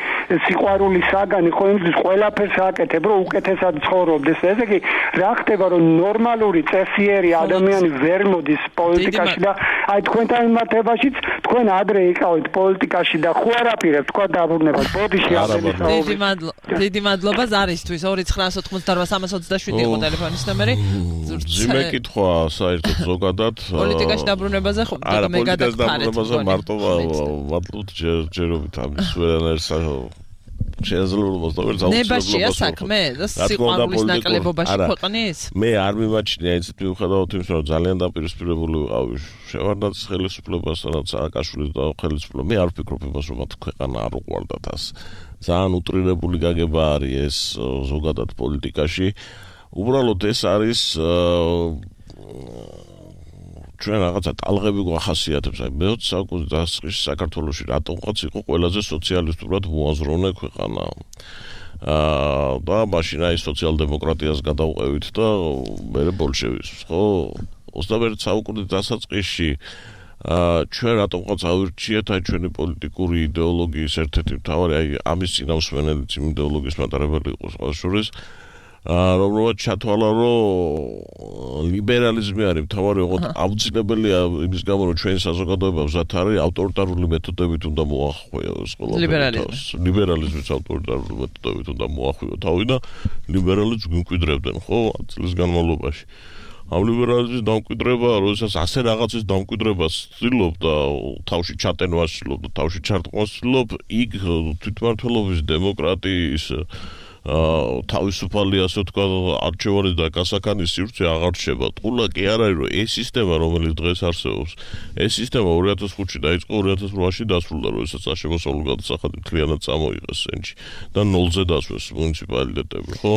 სიყვარული საგანი ხო იმის ყველაფერს აკეთებ რომ უკეთესად ცხოვრობდეს ესე იგი რა ხდება რომ ნორმალური წესიერი ადამიანი ვერ მოდის პოლიტიკაში და აი თქვენთან მიმართებაშიც თქვენ ადრე იყავით პოლიტიკაში და ხო არაპირებთ თქვა დაბრუნებას ბოდიში დიდი მადლობა დიდი მადლობა ზარისთვის ორი ცხრა ოთხმოცდაოთხ სამას ოცდაშვიდი იყო ტელეფონის ნომერი ძიმე კითხვა საერთოდ ზოგადად პოლიტიკაში დაბრუნებაზე ხო მე გადაგფარეთ მარტო ვატლუთ ჯერობით ამის ვერანაირ შეიძლება მოსდევერ ნებაშია საქმე და სიყვარულის ნაკლებობაში ქვეყნის მე არ მიმაჩნია ისეთ მიუხედავად იმისა რომ ძალიან დაპირისპირებული ვიყავი შევარდნაძის ხელისუფლებასთან სააკაშვილის და ხელისუფლება მე არ ვფიქრობ იმას რომ მათ ქვეყანა არ უყვარდათ ას ძალიან უტრირებული გაგება არის ეს ზოგადად პოლიტიკაში უბრალოდ ეს არის ჩვენ რაღაცა ტალღები გვახასიათებს აი მეოცე საუკუნის დასაწყისში საქართველოში რატომღაც იყო ყველაზე სოციალისტურად მოაზროვნე ქვეყანა აა და მაშინ აი სოციალ-დემოკრატიას გადავყევით და მე ბოლშევიზმს ხო ოცდამეერთე საუკუნის დასაწყისში აა ჩვენ რატომღაც ავირჩიეთ აი ჩვენი პოლიტიკური იდეოლოგიის ერთ-ერთი მთავარი აი ამის წინამსმენელიც იმ იდეოლოგიის მატარებელი იყო სხვა შორის რომელსაც ჩათვალა რომ ლიბერალიზმი არის მთავარი ოღონდ აუცილებელია იმის გამო რომ ჩვენი საზოგადოება მზად არის ავტორიტარული მეთოდებით უნდა მოახვიოს ლიბერალიზმი ლიბერალიზმის ავტორიტარული მეთოდებით უნდა მოახვიო თავი და ლიბერალებს გვიმკვიდრებდნენ ხო წლის განმავლობაში ამ ლიბერალიზმის დამკვიდრება როდესაც ასე რაღაცის დამკვიდრებას ცდილობ და თავში ჩატენვას ცდილობ და თავში ჩარტყმას ცდილობ იქ თვითმმართველობის დემოკრატიის თავისუფალი ასე თქვა არჩევანის და გასაქანის სივრცე აღარ რჩება. ტყულა კი არ არის რომ ეს სისტემა რომელიც დღეს არსებობს, ეს სისტემა ორი ათას ხუთში დაიწყო ორი ათას რვაში დასრულდა, როდესაც სამშობლო გადასახადი მთლიანად წამოიღეს სენჩი და ნოლზე დასვეს მუნიციპალიტეტები, ხო?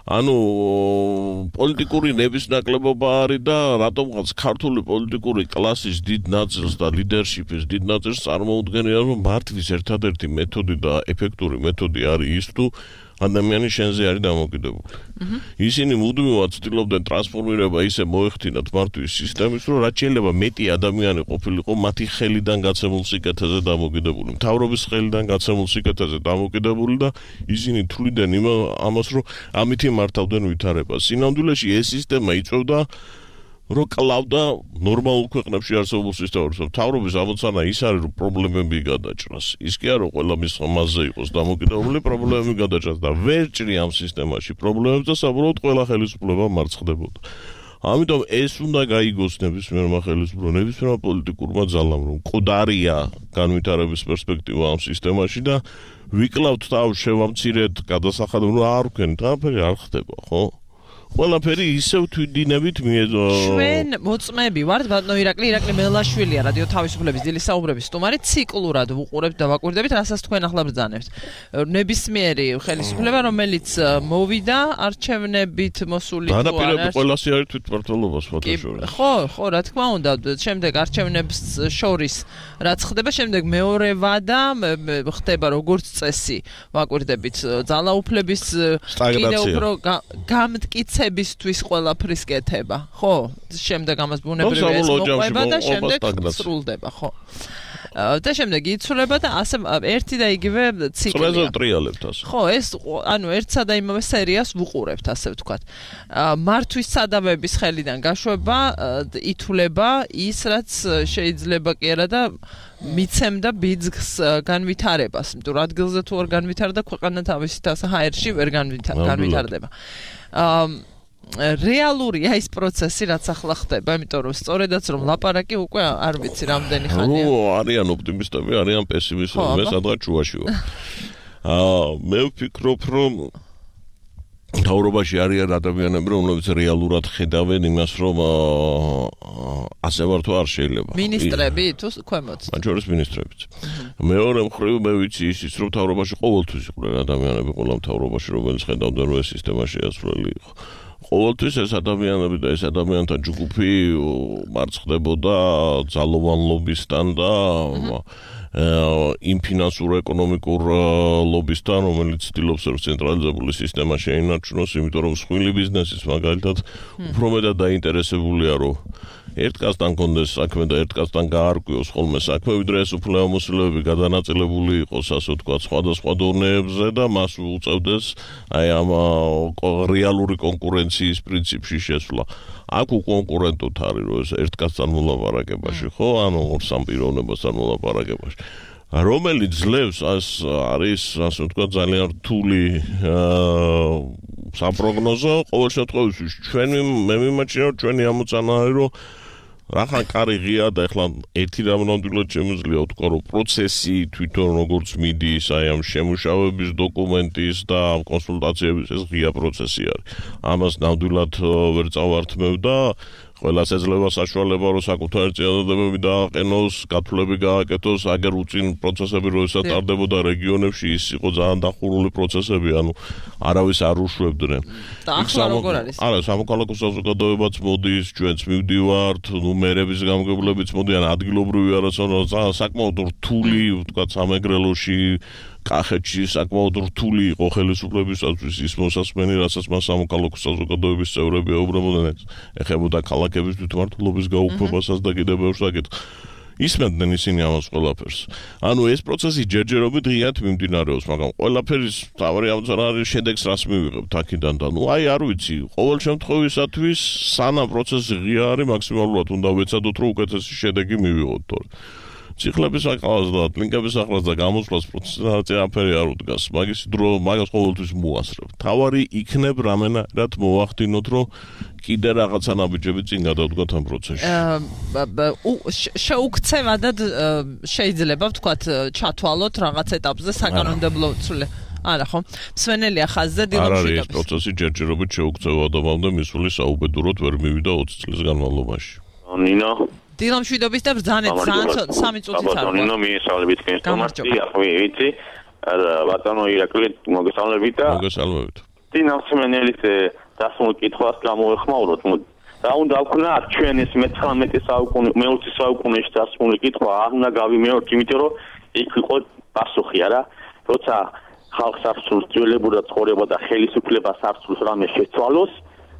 ანუ პოლიტიკური ნების ნაკლებობა არის და რატომღაც ქართული პოლიტიკური კლასის დიდ ნაწილს და ლიდერშიპის დიდ ნაწილს წარმოუდგენია რომ მართლის ერთადერთი მეთოდი და ეფექტური მეთოდი არის ის თუ ადამიანი შენზე არის დამოკიდებული. ისინი მუდმივად ცდილობდნენ ტრანსფორმირება ისე მოეხდინათ მართვის სისტემის, რომ რაც შეიძლება მეტი ადამიანი ყოფილიყო მათი ხელიდან გაცემულ სიკეთეზე დამოკიდებული, მთავრობის ხელიდან გაცემულ სიკეთეზე დამოკიდებული და ისინი თვლიდნენ ამას, რომ ამით იმართავდნენ ვითარებას. სინამდვილეში ეს სისტემა იწვევდა რომ კლავდა ნორმალურ ქვეყნებში არსებულ სისტემებს. მთავრობის ამოცანა ის არის, რომ პრობლემები გადაჭრას. ის კი არა, რომ ყველა მის მასზე იყოს დამოკიდებული, პრობლემები გადაჭრას და ვერ ჭრი ამ სისტემაში პრობლემებს და საბოლოოდ ყველა ხელისუფლება მარცხდებოდა. ამიტომ ეს უნდა გაიგოს ნებისმიერმა ხელისუფლებამ, ნებისმიერმა პოლიტიკურმა ძალამ, რომ მკვდარია განვითარების პერსპექტივა ამ სისტემაში და ვიკლავთ თავს შევამცირეთ გადასახადებ, რომ არ ვქენით, არაფერი არ ხდება, ხო? ყველაფერი ისევ თვითდინებით მიეძო. ჩვენ მოწმეები ვართ, ბატონო ირაკლი, ირაკლი მელაშვილია, რადიო თავისუფლების დილის საუბრების სტუმარი, ციკლურად ვუყურებთ და ვაკვირდებით, რასაც თქვენ ახლა ბრძანებთ. ნებისმიერი ხელისუფლება, რომელიც მოვიდა არჩევნებით მოსული თუ არა. დანაპირები ყველასი არის თვითმმართველობას ფოტოშორის. ხო, ხო, რა თქმა უნდა, შემდეგ არჩევნებს შორის რაც ხდება, შემდეგ მეორე ვადა ხდება როგორც წესი, ვაკვირდებით ძალაუფლების კიდევ უფრო გამტკიცება მიცებისთვის ყველაფრის კეთება, ხო? შემდეგ ამას ბუნებრივია ეს მოყვება და შემდეგ სრულდება, ხო? და შემდეგ იცვლება და ასე ერთი და იგივე ციკლია. წრეზე ტრიალებთ ასე. ხო, ეს ანუ ერთსა და იმავე სერიას ვუყურებთ, ასე ვთქვათ. მართვის სადავების ხელიდან გაშვება, ითვლება ის, რაც შეიძლება კი არა და მიცემდა ბიძგს განვითარებას. იმიტომ რომ ადგილზე თუ არ განვითარდა, ქვეყანა თავისით ასე ჰაერში ვერ განვითარდება. რეალურია ის პროცესი, რაც ახლა ხდება, იმიტომ რომ სწორედაც რომ ლაპარაკი უკვე არ ვიცი რამდენი ხანია. ნუ არიან ოპტიმისტები, არიან პესიმისტები, მე სადღაც შუაში ვარ. აა მე ვფიქრობ, რომ თავრობაში არიან ადამიანები, რომლებიც რეალურად ხედავენ იმას, რომ ასე ვარ თუ არ შეიძლება. მინისტრები თუ ქვემოც. მათ შორის მინისტრებიც. მეორე მხრივ მე ვიცი ისიც, რომ თავრობაში ყოველთვის იყვნენ ადამიანები, ყველა თავრობაში, რომელიც ხედავდნენ, რომ ეს სისტემა შეასრულებელი იყო. ყოველთვის ეს ადამიანები და ეს ადამიანთა ჯგუფი მარცხდებოდა ძალოვანლობისთან და იმ ფინანსურ ეკონომიკურ ლობისთან, რომელიც ცდილობს ცენტრალიზებული სისტემა შეინარჩუნოს, იმიტომ რომ სხვილი ბიზნესის მაგალითად უფრო მეტად დაინტერესებულია, რომ ერთ კაცთან კონდეს საქმე და ერთ კაცთან გაარკვიოს ხოლმე საქმე, ვიდრე ეს უფლებამოსილეები გადანაწილებული იყოს, ასე ვთქვათ, სხვადასხვა დონეებზე და მას უწევდეს აი ამ რეალური კონკურენციის პრინციპში შესვლა. აქ უკონკურენტოთ არის, რომ ეს ერთ კაცთან მოლაპარაკებაში, ხო, ანუ ორ სამ პიროვნებასთან მოლაპარაკებაში. რომელიც ძლევს ეს არის, ასე ვთქვათ, ძალიან რთული საპროგნოზო, ყოველ შემთხვევაში ჩვენი მე მიმაჩნია, რომ ჩვენი ამოცანა არის, რომ რახან კარი ღია და ეხლა ერთი რამ ნამდვილად შემიძლია ვთქვა, რომ პროცესი თვითონ როგორც მიდის, აი ამ შემუშავების დოკუმენტის და კონსულტაციების ეს ღია პროცესი არის. ამას ნამდვილად ვერ წავართმევ და ყველას ეძლევა საშუალება, რომ საკუთარი წინადადებები დააყენოს, გათვლები გააკეთოს, აგერ უწინ პროცესები როდესაც ტარდებოდა რეგიონებში, ის იყო ძალიან დახურული პროცესები, ანუ არავის არ უშვებდნენ. და ახლა როგორ არის? არა, სამოქალაქო საზოგადოებაც მოდის, ჩვენც მივდივართ, ნუ მერების გამგებლებიც მოდიან, ადგილობრივი არასოდეს ძალიან საკმაოდ რთული, ვთქვათ, სამეგრელოში კახეთში საკმაოდ რთული იყო ხელისუფლებისათვის ის მოსასმენი, რასაც მას სამოქალაქო საზოგადოების წევრები ეუბნებოდნენ, ეხებოდა ქალაქების თვითმმართველობის გაუქმებასაც და კიდევ ბევრ საკითხს. ისმენდნენ ისინი ამას ყველაფერს. ანუ ეს პროცესი ჯერჯერობით ღიად მიმდინარეობს, მაგრამ ყველაფერის თავი ამცარა არის შედეგს რას მივიღებთ აქედან და ნუ აი არ ვიცი, ყოველ შემთხვევისათვის სანამ პროცესი ღია არის, მაქსიმალურად უნდა ვეცადოთ, რომ უკეთესი შედეგი მივიღოთ თორე. ციხლების აკალას და ლინკების ახლას და გამოსვლას პროცესი აფერი არ უდგას. მაგის დრო მაგას ყოველთვის მოასწრებ. თავარი იქნებ რამენად მოახდინოთ, რომ კიდე რაღაცა ნაბიჯები წინ გადავდგათ ამ პროცესში. შეუქცევადად შეიძლება ვთქვათ ჩათვალოთ რაღაც ეტაპზე საკანონმდებლო ცვლილება. არა ხო? მსვენელია ხაზზე დილომშვიდობის. არ არის ეს პროცესი ჯერჯერობით შეუქცევადობამდე მისული საუბედუროდ ვერ მივიდა ოცი წლის განმავლობაში. ნინო დილომშვიდობის და ბრძანეთ სამი წუთით არ. ნინო მიესალმებით კენსტომასი, ახლა ვიცი. ბატონო ირაკლი მოგესალმებით და მოგესალმებით. დინავსმენელის დასმულ კითხვას გამოეხმაუროთ. რა უნდა ვქნათ ჩვენ ეს მეცხრამეტე საუკუნე, მეოცე საუკუნეში დასმული კითხვა არ უნდა გავიმეორთ, იმიტომ რომ იქ იყო პასუხი არა, როცა ხალხს არსულს ძველებურა ცხოვრება და ხელისუფლებას არსულს რამე შეცვალოს,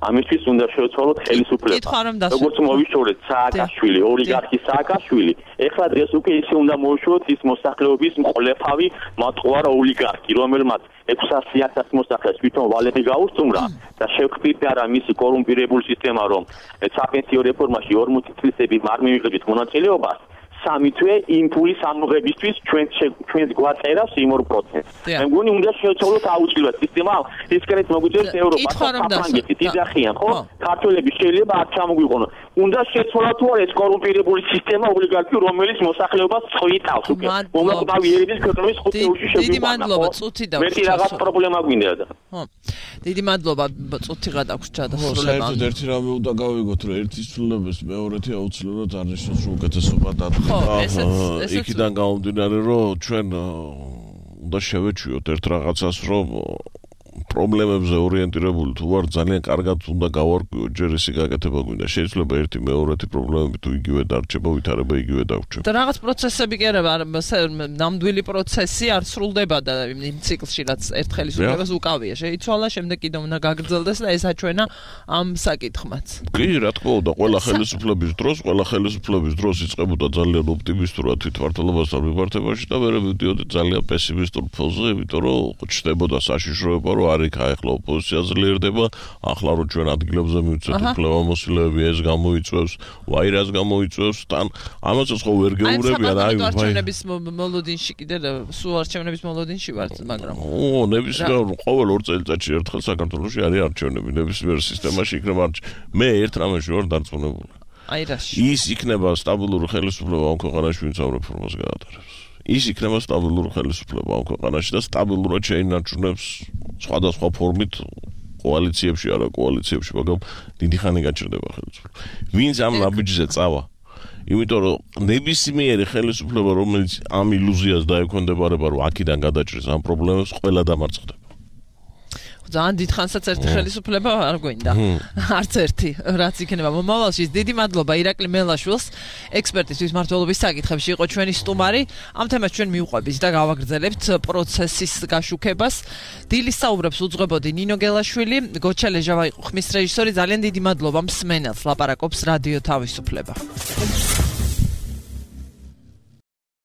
ამისთვის უნდა შევცვალოთ ხელისუფლება. როგორც მოვიშორეთ სააკაშვილი, ოლიგარქი სააკაშვილი, ეხლა დღეს უკვე ისე უნდა მოვიშოროთ ის მოსახლეობის მყოლეფავი მატყუარა ოლიგარქი, რომელმაც ექვსასი ათასი მოსახლეს თვითონ ვალები გაუსწუმრა და შევქმნით არა მისი კორუმპირებული სისტემა, რომ საპენსიო რეფორმაში ორმოცი წლისები არ მივიღებთ მონაწილეობას. სამი თვე იმპულის ამოღებისთვის ჩვენ ჩვენს გვაწერავს იმ ორ პროცენტს. მე მგონი უნდა შევცვალოთ აუცილებლად სისტემა, ისკენეთ მოგვიწევს ევროპა, საფრანგეთი, დიზახიან, ხო? ქართველები შეიძლება არ ჩამოგვიყონო. უნდა შეცვალოთ თუ არა ეს კორუმპირებული სისტემა ოლიგარქი, რომელიც მოსახლეობას წვითავს უკვე. მომაკვდავი ერების ქვეყნების ხუთი უში შეგვიყვანა. დიდი მადლობა, წუთი და მეტი რაღაც პრობლემა გვინდა და. ხო. დიდი მადლობა, წუთი გადაგვს ჩადასრულება. საერთოდ ერთი რამე უნდა გავიგოთ, რომ ერთის ცვლილებას მეორეთი აუცილებლად არ ნიშნავს, რომ უკეთესობა დადგება. იქიდან გამომდინარე, რომ ჩვენ უნდა შევეჩვიოთ ერთ რაღაცას, რომ პრობლემებზე ორიენტირებული თუ ვარ, ძალიან კარგად უნდა გავარკვიო, ჯერ ისი გაკეთება გვინდა. შეიძლება ერთი მეორეთი პრობლემები თუ იგივე დარჩება, ვითარება იგივე დაგვრჩება. და რაღაც პროცესები კი არა, ნამდვილი პროცესი არ სრულდება და იმ ციკლში რაც ერთ ხელისუფლებას უკავია. შეიცვალა, შემდეგ კიდევ უნდა გაგრძელდეს და ეს აჩვენა ამ საკითხმაც. კი, რა თქმა უნდა, ყველა ხელისუფლების დროს, ყველა ხელისუფლების დროს იწყებოდა ძალიან ოპტიმისტურად თვითმმართველობასთან მიმართებაში და მერე მიდიოდა ძალიან პესიმისტურ ფონზე, იმიტომ რომ ჩნდებოდა საშიშროება, რომ არ იქა ახლა ოპოზიცია ძლიერდება, ახლა რომ ჩვენ ადგილებზე მივცეთ უფლებამოსილები, ეს გამოიწვევს, ვაირას გამოიწვევს, თან ამასაც ხო ვერ გეურებიან, აი ვაი. არჩევნების მოლოდინში კიდე სულ არჩევნების მოლოდინში ვართ, მაგრამ ო, ნებისმიერ ყოველ ორ წელიწადში ერთხელ საქართველოში არის არჩევნები, ნებისმიერ სისტემაში იქნება არჩევნები. მე ერთ რამეში ვარ დარწმუნებული. აი რაში? ის იქნება სტაბილური ხელისუფლება ამ ქვეყანაში, ვინც ამ რეფორმას გაატარებს. ის იქნება სტაბილური ხელისუფლება ამ ქვეყანაში და სტაბილურად შეინარჩუნებს სხვადასხვა ფორმით კოალიციებში, არა კოალიციებში, მაგრამ დიდი ხანი გაჩერდება ხელისუფლება. ვინც ამ ნაბიჯზე წავა, იმიტომ რომ ნებისმიერი ხელისუფლება, რომელიც ამ ილუზიას დაექვემდებარება, რომ აქედან გადაჭრის ამ პრობლემებს, ყველა დამარცხდება. ძალიან დიდხანსაც ერთი ხელისუფლება არ გვინდა. არც ერთი, რაც იქნება მომავალში. დიდი მადლობა ირაკლი მელაშვილს, ექსპერტის თვითმმართველობის საკითხებში იყო ჩვენი სტუმარი. ამ თემას ჩვენ მივყვებით და გავაგრძელებთ პროცესის გაშუქებას. დილის საუბრებს უძღვებოდი ნინო გელაშვილი, გოჩა ლეჟავა იყო ხმის რეჟისორი. ძალიან დიდი მადლობა მსმენელს, ლაპარაკობს რადიო თავისუფლება.